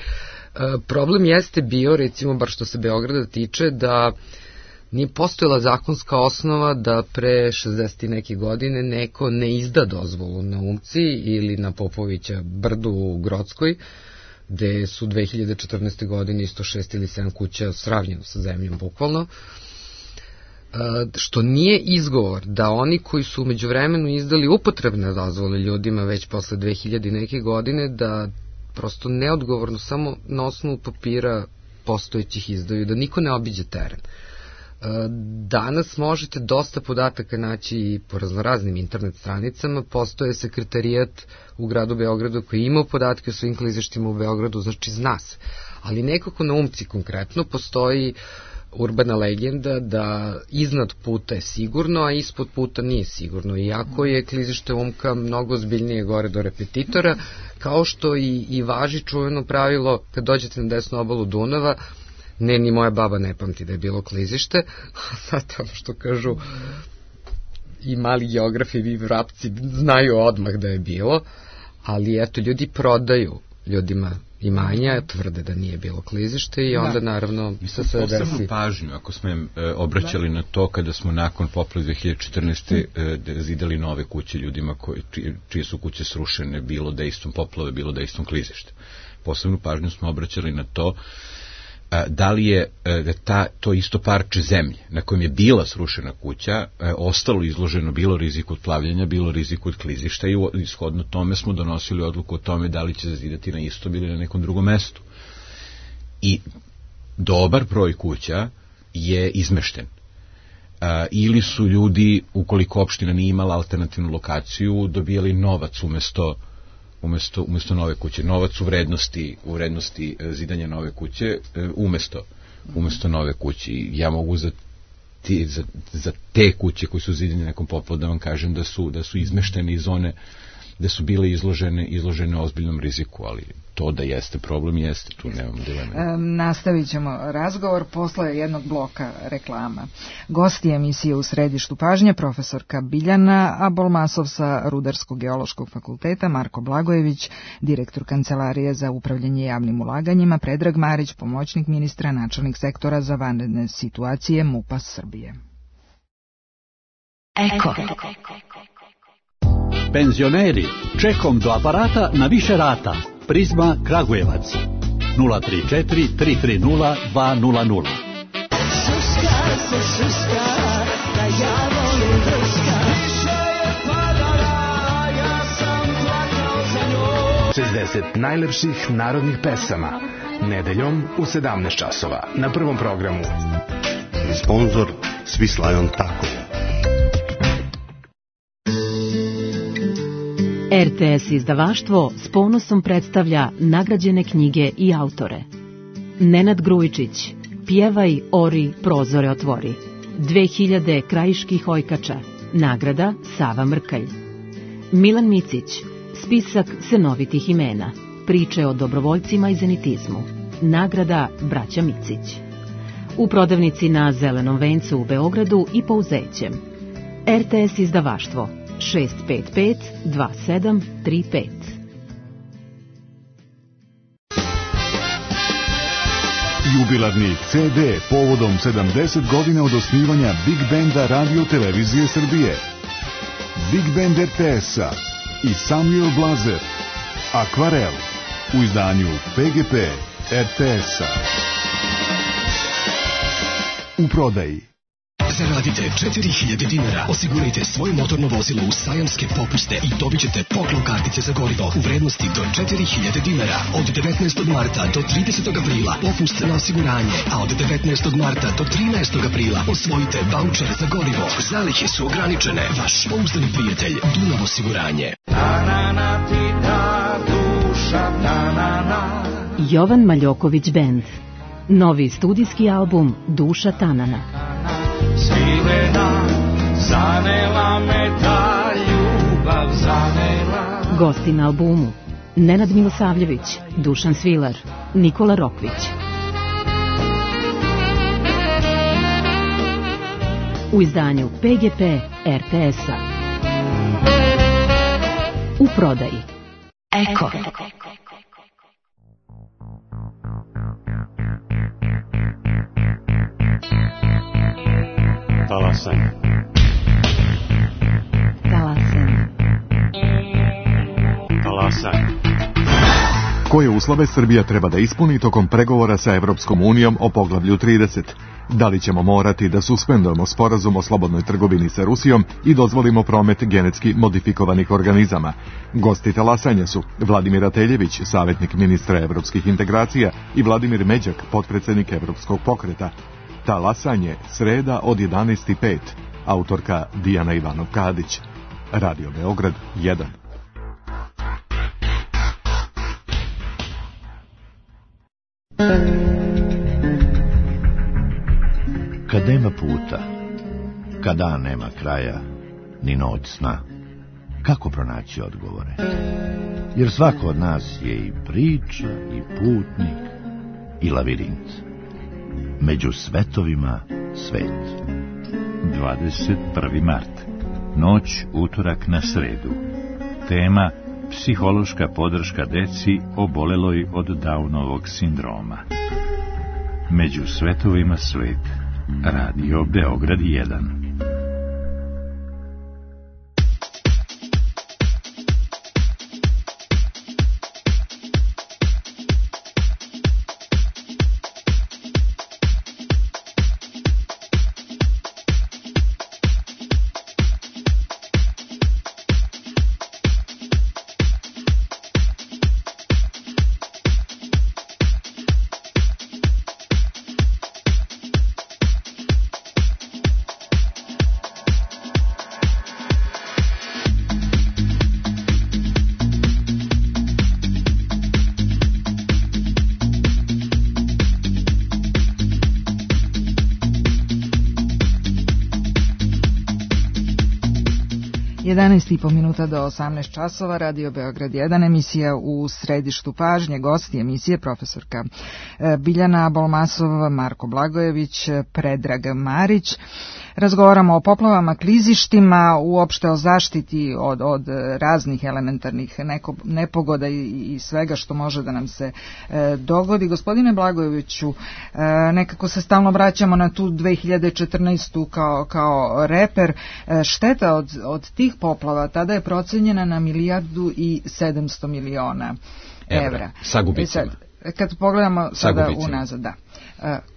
Uh, problem jeste bio, recimo, bar što se Beograda tiče, da nije postojala zakonska osnova da pre šezdeset i neke godine neko ne izda dozvolu na Umci ili na Popovića brdu u Grockoj, gde su dve hiljade četrnaeste. godine isto šest ili sedam kuća sravnjeno sa zemljom, bukvalno. Što nije izgovor da oni koji su umeđu vremenu izdali upotrebne dozvole ljudima već posle dve hiljade neke godine, da prosto neodgovorno samo na osnovu papira postojećih izdaju, da niko ne obiđe teren. Danas možete dosta podataka naći i po raznoraznim internet stranicama, postoje sekretarijat u gradu Beogradu koji ima podatke o svim klizištima u Beogradu, znači zna se. Ali nekako na Umci konkretno postoji urbana legenda da iznad puta je sigurno, a ispod puta nije sigurno. Iako je klizište Umka mnogo ozbiljnije gore do Repetitora, kao što i, i važi čuveno pravilo kad dođete na desnu obalu Dunava, ne, ni moja baba ne pamti da je bilo klizište, a sad ono što kažu i mali geografi i vrapci znaju odmah da je bilo, ali eto, ljudi prodaju ljudima imanja, tvrde da nije bilo klizište i onda da. naravno se sve desi. Posebno pažnju, ako smo im e, obraćali da. na to kada smo nakon poplave dve hiljade četrnaeste. E, zidali nove kuće ljudima koji, čije, čije su kuće srušene, bilo dejstvom poplave, bilo dejstvom klizišta. Posebnu pažnju smo obraćali na to da li je ta, to isto parče zemlje na kojem je bila srušena kuća ostalo izloženo bilo riziku od plavljenja, bilo riziku od klizišta i ishodno tome smo donosili odluku o tome da li će zazidati na istom ili na nekom drugom mestu. I dobar broj kuća je izmešten. Ili su ljudi, ukoliko opština nije imala alternativnu lokaciju, dobijali novac umesto Umesto, umesto nove kuće, novac u vrednosti, u vrednosti zidanja nove kuće, umesto, umesto nove kuće. Ja mogu za, ti, za, za te kuće koji su zidane nekom poplavom da vam kažem da su, da su izmeštene iz zone, da su bile izložene, izložene ozbiljnom riziku, ali to da jeste problem, jeste, tu nemamo dileme. E, nastavit ćemo razgovor posle jednog bloka reklama. Gosti emisije u središtu pažnje, profesorka Biljana Abolmasov sa Rudarsko-geološkog fakulteta, Marko Blagojević, direktor Kancelarije za upravljanje javnim ulaganjima, Predrag Marić, pomoćnik ministra, načelnik sektora za vanredne situacije MUP-a Srbije. Eko. Penzioneri, čekom do aparata na više rata. Prizma Kragujevac nula tri četiri tri tri nula dva nula nula. Šuška se šuška, da ja volim drška. Više je padala, ja sam plakao za njom. šezdeset najlepših narodnih pesama. Nedeljom u sedamnaest časova na Prvom programu. Sponzor Svislajon Tako. R T S izdavaštvo s ponosom predstavlja nagrađene knjige i autore. Nenad Grujičić, Pjevaj, ori, prozore otvori. dve hiljade krajiških ojkača. Nagrada Sava Mrkalj. Milan Micić, Spisak senovitih imena. Priče o dobrovoljcima i zenitizmu. Nagrada Braća Micić. U prodavnici na Zelenom vencu u Beogradu i Pouzećem. R T S izdavaštvo šest pet pet dva sedam tri pet. Jubilarni C D povodom sedamdeset godina od osnivanja Big Benda Radio Televizije Srbije. Big Band R T S-a i Samuel Blazer. Akvarel u izdanju P G P R T S-a. U prodaji. Zaradite četiri hiljade dinara, osigurajte svoje motorno vozilo u sajamske popuste i dobit ćete poklon kartice za gorivo u vrednosti do četiri hiljade dinara. Od devetnaestog marta do tridesetog aprila popust na osiguranje, a od devetnaestog marta do trinaestog aprila osvojite vaučer za gorivo. Zalihe su ograničene. Vaš pouzdani prijatelj Dunav osiguranje. Jovan Maljoković Band. Novi studijski album Duša Tanana. Svilena, zanela me ta ljubav, zanela. Gosti na albumu Nenad Milosavljević, Dušan Svilar, Nikola Rokvić. U izdanju P G P R T S-a. U prodaji Eko. Talasanje. Talasanje. Talasanje. Koje uslove Srbija treba da ispuni tokom pregovora sa Evropskom unijom o poglavlju trideset? Da li ćemo morati da suspendujemo sporazum o slobodnoj trgovini sa Rusijom i dozvolimo promet genetski modifikovanih organizama? Gosti talasanja su Vladimir Ateljević, savjetnik ministra evropskih integracija, i Vladimir Međak, potpredsednik Evropskog pokreta. Talasanje, sreda od jedanaest i pet. Autorka Dijana Ivanov-Kadić. Radio Beograd jedan. Kad nema puta, kad dan nema kraja, ni noć sna, kako pronaći odgovore? Jer svako od nas je i priča, i putnik, i lavirint. Među svetovima svet. dvadeset prvi mart. Noć utorak na sredu. Tema: psihološka podrška deci oboleloj od Downovog sindroma. Među svetovima svet. Radio Beograd jedan. jedanaest i po minuta do osamnaest časova, Radio Beograd jedan, emisija u središtu pažnje. Gosti emisije profesorka Biljana Bolmasov, Marko Blagojević, Predrag Marić. Razgovaramo o poplavama, klizištima, uopšte o zaštiti od, od raznih elementarnih neko, nepogoda i, i svega što može da nam se e, dogodi. Gospodine Blagojeviću, e, nekako se stalno vraćamo na tu dve hiljade četrnaestu kao, kao reper. E, šteta od, od tih poplava, tada je procenjena na milijardu i sedamsto miliona evra. Sa gubicima. E sad, kad pogledamo sada unazad, da.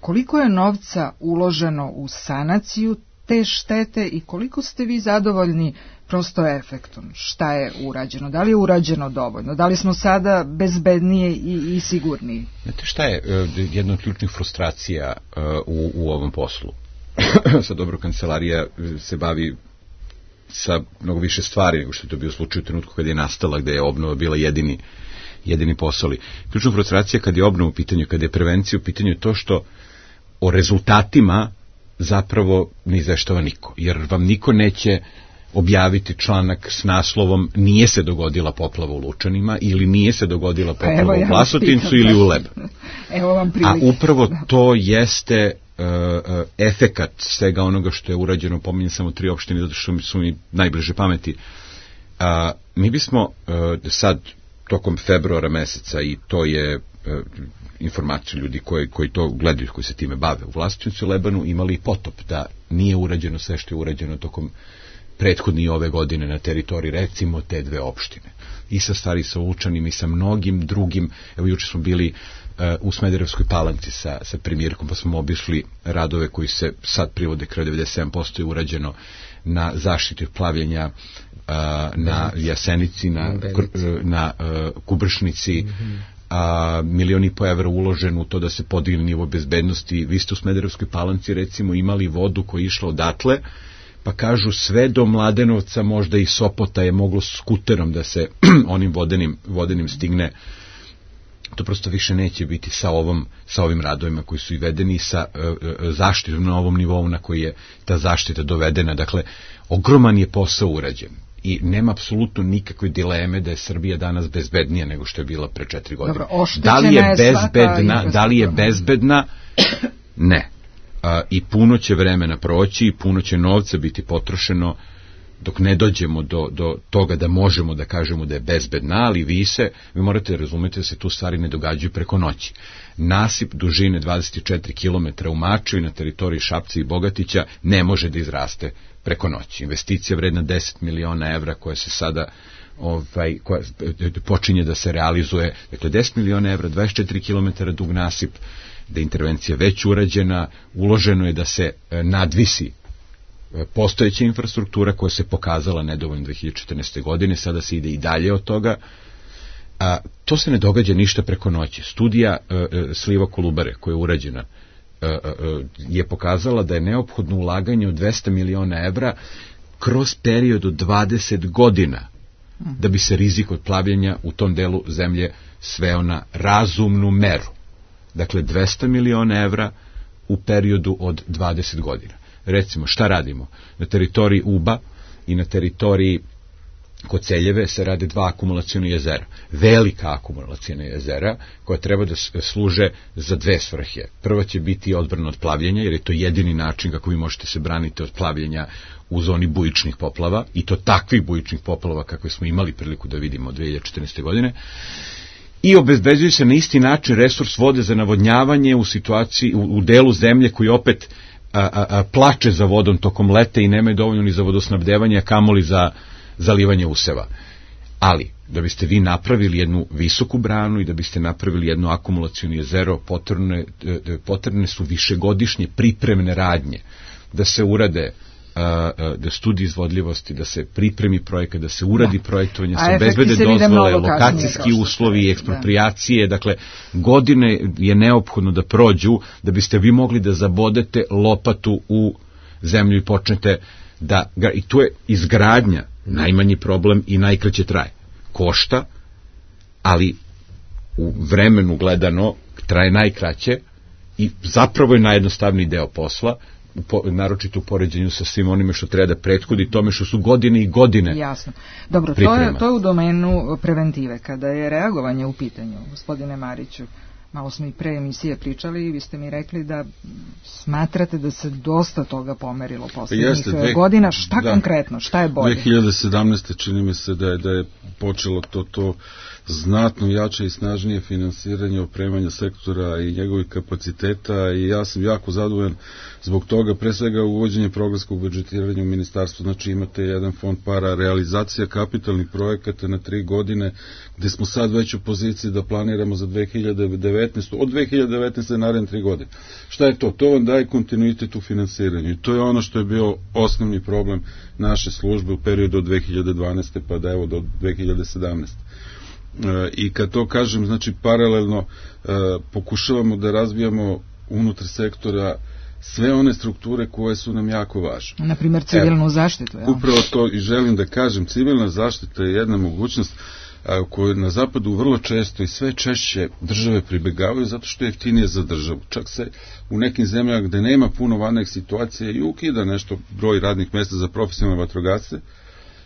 Koliko je novca uloženo u sanaciju te štete i koliko ste vi zadovoljni prosto efektom? Šta je urađeno? Da li je urađeno dovoljno? Da li smo sada bezbednije i, i sigurniji? Znate šta je jedna od ključnih frustracija u, u ovom poslu? Sa dobro kancelarija se bavi sa mnogo više stvari nego što je to bio slučaj u trenutku kada je nastala, gde je obnova bila jedini jedini posao. Ključna frustracija kad je obnova u pitanju, kad je prevencija u pitanju je to što o rezultatima zapravo ne izveštava niko, jer vam niko neće objaviti članak s naslovom nije se dogodila poplava u Lučanima ili nije se dogodila poplava ja u Vlasotincu ili u Leb. Evo vam prilike. A upravo to jeste uh, uh, efekat svega onoga što je urađeno, pominjem samo tri opštine zato što su mi najbliže pameti. Uh, mi bismo uh, sad tokom februara meseca, i to je uh, informaciju ljudi koji, koji to gledaju, koji se time bave u Vlasotincu i Lebanu, imali i potop da nije urađeno sve što je urađeno tokom prethodni ove godine na teritoriji recimo te dve opštine. I sa Stari sa Lučanim i sa mnogim drugim. Evo juče smo bili uh, u Smederevskoj Palanci sa, sa premijerkom, pa smo obišli radove koji se sad privode kraj devedeset sedam posto je urađeno na zaštiti plavljenja uh, na Jasenici, na, na uh, Kubršnici, mm-hmm. a milion i po evra uložen u to da se podigne nivo bezbednosti. Vi ste u Smederevskoj Palanci recimo imali vodu koja je išla odatle, pa kažu sve do Mladenovca, možda i Sopota je moglo skuterom da se onim vodenim, vodenim stigne. To prosto više neće biti sa ovom, sa ovim radovima koji su i vedeni, sa uh, zaštitom na ovom nivou na koji je ta zaštita dovedena. Dakle, ogroman je posao urađen i nema apsolutno nikakve dileme da je Srbija danas bezbednija nego što je bila pre četiri godine. Dobro, da li je bezbedna, da li je bezbedna? Ne. Uh, I puno će vremena proći i puno će novca biti potrošeno dok ne dođemo do, do toga da možemo da kažemo da je bezbedna, ali vi se, vi morate razumjeti da se tu stvari ne događaju preko noći. Nasip dužine dvadeset četiri kilometra u Maču i na teritoriji Šapca i Bogatića ne može da izraste preko noći. Investicija vredna deset miliona evra koja se sada ovaj, koja počinje da se realizuje, dakle deset miliona evra, dvadeset četiri kilometra dug nasip, da je intervencija već urađena, uloženo je da se nadvisi postojeća infrastruktura koja se pokazala nedovoljno dve hiljade četrnaeste. godine, sada se ide i dalje od toga. A, to se ne događa ništa preko noći. Studija a, a, sliva Kolubare koja je urađena a, a, a, je pokazala da je neophodno ulaganje od dvesta miliona evra kroz period od dvadeset godina da bi se rizik od plavljenja u tom delu zemlje sveo na razumnu meru. Dakle, dvesta miliona evra u periodu od dvadeset godina. Recimo, šta radimo? Na teritoriji Uba i na teritoriji Koceljeve se rade dva akumulaciona jezera. Velika akumulaciona jezera koja treba da služe za dve svrhe. Prva će biti odbrana od plavljenja, jer je to jedini način kako vi možete se braniti od plavljenja u zoni bujičnih poplava, i to takvih bujičnih poplava kakve smo imali priliku da vidimo od dve hiljade četrnaeste. godine. I obezbeđuje se na isti način resurs vode za navodnjavanje u situaciji, u, u delu zemlje koji opet a, a, a, plače za vodom tokom leta i nemaju dovoljno ni za vodosnabdevanje, a kamoli za zalivanje useva. Ali, da biste vi napravili jednu visoku branu i da biste napravili jedno akumulacijono jezero, potrebne, potrebne su višegodišnje pripremne radnje, da se urade da studije izvodljivosti, da se pripremi projekat, da se uradi da. projektovanje, da se bezbede dozvole, lokacijski uslovi, ekspropriacije, da. dakle, godine je neophodno da prođu da biste vi mogli da zabodete lopatu u zemlju i počnete da, i tu je izgradnja najmanji problem i najkraće traje. Košta, ali u vremenu gledano traje najkraće i zapravo je najjednostavniji deo posla, Po, naročito u poređenju sa svim onime što treba da prethodi tome što su godine i godine. Jasno. Dobro, to je, to je u domenu preventive. Kada je reagovanje u pitanju, gospodine Mariću, malo smo i pre emisije pričali i vi ste mi rekli da smatrate da se dosta toga pomerilo poslednjih Jeste, dve, godina. Šta da, konkretno? Šta je bolje? dve hiljade sedamnaeste. čini mi se da je, da je počelo to to znatno jače i snažnije finansiranje opremanja sektora i njegovih kapaciteta, i ja sam jako zadovoljan zbog toga, pre svega uvođenje programskog budžetiranja u ministarstvu. Znači imate jedan fond para, realizacija kapitalnih projekata na tri godine, gde smo sad već u poziciji da planiramo za dve hiljade devetnaestu. Od dve hiljade devetnaeste naredne tri godine. Šta je to? To vam daje kontinuitet u finansiranju i to je ono što je bio osnovni problem naše službe u periodu od dve hiljade dvanaeste pa da evo do dve hiljade sedamnaeste. E, I kad to kažem, znači paralelno e, pokušavamo da razvijamo unutar sektora sve one strukture koje su nam jako važne. Naprimjer civilnu evo, zaštitu. Ja. Upravo to i želim da kažem, civilna zaštita je jedna mogućnost koje na zapadu vrlo često i sve češće države pribegavaju zato što je jeftinije za državu. Čak se u nekim zemljama gde nema puno vanrednih situacija i ukida nešto broj radnih mjesta za profesionalne vatrogasce,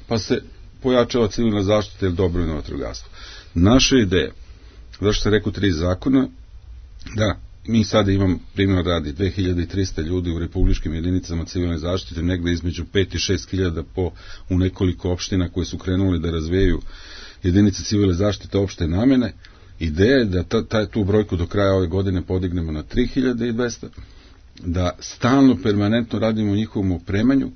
pa se pojačava civilna zaštita ili dobrovoljno vatrogastvo. Naša ideja, zašto se rekao tri zakona, da mi sada imamo primjer radi dve hiljade trista ljudi u republičkim jedinicama civilne zaštite, negde između pet i šest hiljada po u nekoliko opština koje su krenuli da razvijaju jedinice civilne zaštite opšte namene. Ideja je da ta, ta, tu brojku do kraja ove godine podignemo na tri hiljade dvesta, da stalno, permanentno radimo u njihovom opremanju,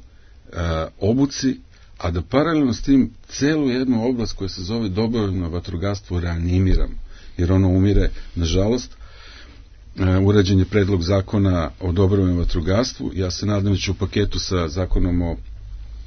a, obuci, a da paralelno s tim celu jednu oblast koja se zove dobrovoljno vatrogastvo reanimiramo, jer ono umire, nažalost. Urađen je predlog zakona o dobrovoljnom vatrogastvu. Ja se nadam da će u paketu sa zakonom o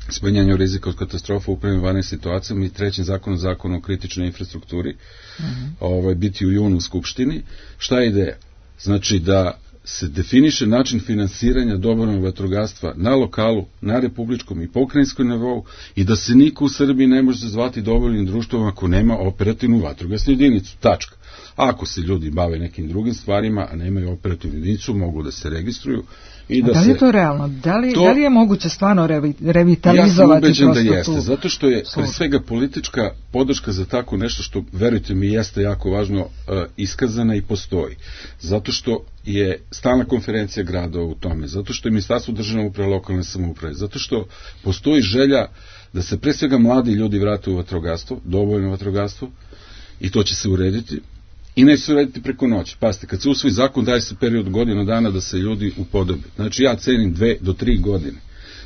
smanjenju rizika od katastrofa u upravljanju vanrednim situacijama i trećim zakonom, zakonom o kritičnoj infrastrukturi, mm-hmm. ovaj, biti u junu u Skupštini. Šta je ideja? Znači da se definiše način finansiranja dobrovoljnog vatrogastva na lokalu, na republičkom i pokrajinskom nivou i da se niko u Srbiji ne može zvati dobrovoljnim društvom ako nema operativnu vatrogasnu jedinicu. Tačka. A ako se ljudi bave nekim drugim stvarima, a nemaju operativnu jedinicu, mogu da se registruju. I da, da li je to realno? Da li, to, da li je moguće stvarno revi, revitalizovati? Ja sam ubeđen da jeste, zato što je pre svega politička podrška za tako nešto što, verujte mi, jeste jako važno, uh, iskazana i postoji. Zato što je stalna konferencija grada u tome, zato što je Ministarstvo državne uprave, lokalne samouprave, zato što postoji želja da se pre svega mladi ljudi vrate u vatrogastvo, dobrovoljno vatrogastvo, i to će se urediti. I neće se urediti preko noći. Pazite, kad se usvoji zakon, daje se period godinu dana da se ljudi upodobe. Znači, ja cenim dve do tri godine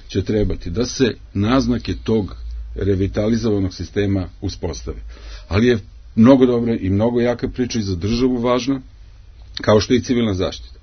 će trebati da se naznake tog revitalizovanog sistema uspostave. Ali je mnogo dobra i mnogo jaka priča i za državu važna, kao što je i civilna zaštita.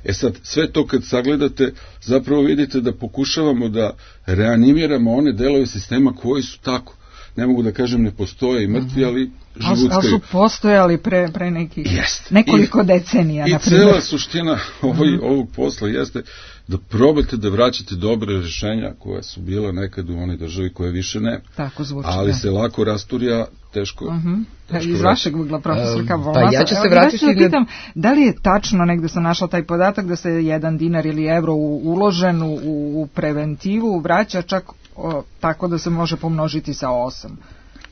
E sad, sve to kad sagledate, zapravo vidite da pokušavamo da reanimiramo one delove sistema koji su tako, ne mogu da kažem ne postoje i mrtvi, ali živuckaju. Ali su postojali pre, pre neki, nekoliko I, decenija. I cela suština ovoj, mm. ovog posla jeste da probate da vraćate dobre rješenja koja su bila nekad u onoj državi koje više ne. Tako zvuči. Ali da. Se lako rasturja, teško. Mm-hmm. teško Iz vašeg ugla, profesor Kavolasa. Pa ja ću se vratiti. Ja pitam, da li je tačno, negde sam našla taj podatak, da se jedan dinar ili evro uložen u, u preventivu vraća čak o, tako da se može pomnožiti sa osam.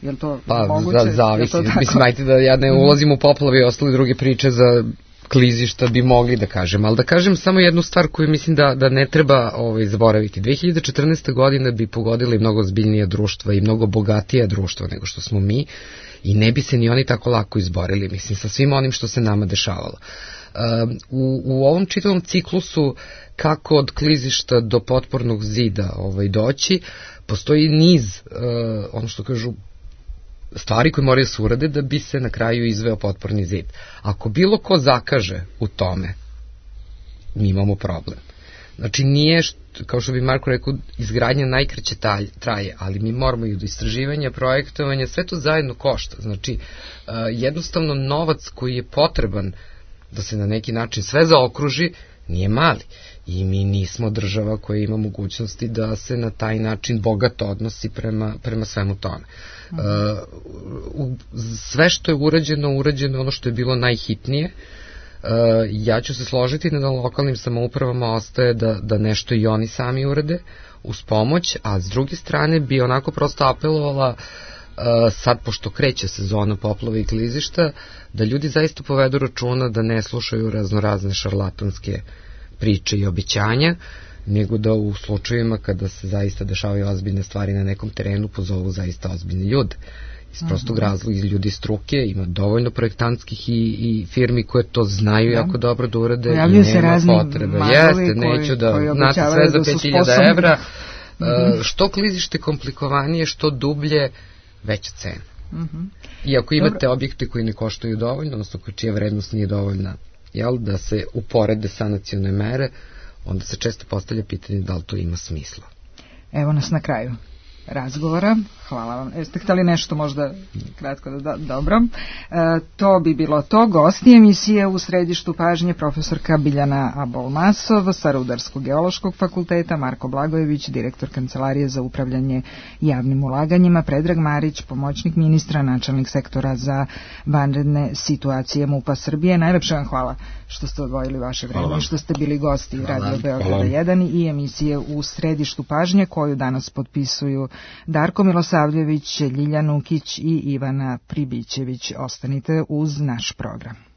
Je li to pa, moguće? Pa zavisi. Mislim, ajte da ja ne ulazim u poplave i ostale druge priče za klizišta bi mogli da kažem, ali da kažem samo jednu stvar koju mislim da, da ne treba ovaj, zaboraviti. dve hiljade četrnaeste. godine bi pogodili mnogo zbiljnija društva i mnogo bogatija društva nego što smo mi i ne bi se ni oni tako lako izborili, mislim, sa svim onim što se nama dešavalo. Uh, u, u ovom čitavom ciklusu kako od klizišta do potpornog zida ovaj, doći, postoji niz, uh, ono što kažu, stvari koje moraju se urade da bi se na kraju izveo potporni zid. Ako bilo ko zakaže u tome, mi imamo problem. Znači nije, što, kao što bi Marko rekao, izgradnja najkraće traje, ali mi moramo i do istraživanja, projektovanja, sve to zajedno košta. Znači uh, jednostavno novac koji je potreban da se na neki način sve zaokruži, nije mali. I mi nismo država koja ima mogućnosti da se na taj način bogato odnosi prema, prema svemu tome. Uh, u, sve što je urađeno, urađeno ono što je bilo najhitnije. Uh, ja ću se složiti da na lokalnim samoupravama ostaje da, da nešto i oni sami urade uz pomoć, a s druge strane bi onako prosto apelovala Uh, sad, pošto kreće sezona poplava i klizišta, da ljudi zaista povedu računa da ne slušaju raznorazne šarlatanske priče i obećanja, nego da u slučajevima kada se zaista dešavaju ozbiljne stvari na nekom terenu pozovu zaista ozbiljni ljude. Iz prostog mm-hmm. razloga, iz ljudi struke, ima dovoljno projektantskih i, i firmi koje to znaju da. jako dobro da urade Pojavljuju i nema potrebe. Jeste, koji, neću da, znate, sve za pet hiljada evra, mm-hmm. uh, što klizište komplikovanije, što dublje, veća cena. Mm-hmm. I ako imate Dobro. objekte koji ne koštaju dovoljno, odnosno čija vrednost nije dovoljna, jel, da se uporede sanacione mere, onda se često postavlja pitanje da li to ima smisla. Evo nas na kraju razgovora. Hvala vam. Jeste htjeli nešto možda kratko da, da dobro. E, to bi bilo to. Gosti emisije u središtu pažnje profesorka Biljana Abolmasov sa Rudarsko-geološkog fakulteta, Marko Blagojević, direktor Kancelarije za upravljanje javnim ulaganjima, Predrag Marić, pomoćnik ministra, načelnik sektora za vanredne situacije MUP-a Srbije. Najlepše vam hvala što ste odvojili vaše vreme i što ste bili gosti hvala. Radio Beograda jedan i emisije u središtu pažnje koju danas potpisuju Darko Milosavljević, Ljiljan Ukić i Ivana Pribićević. Ostanite uz naš program.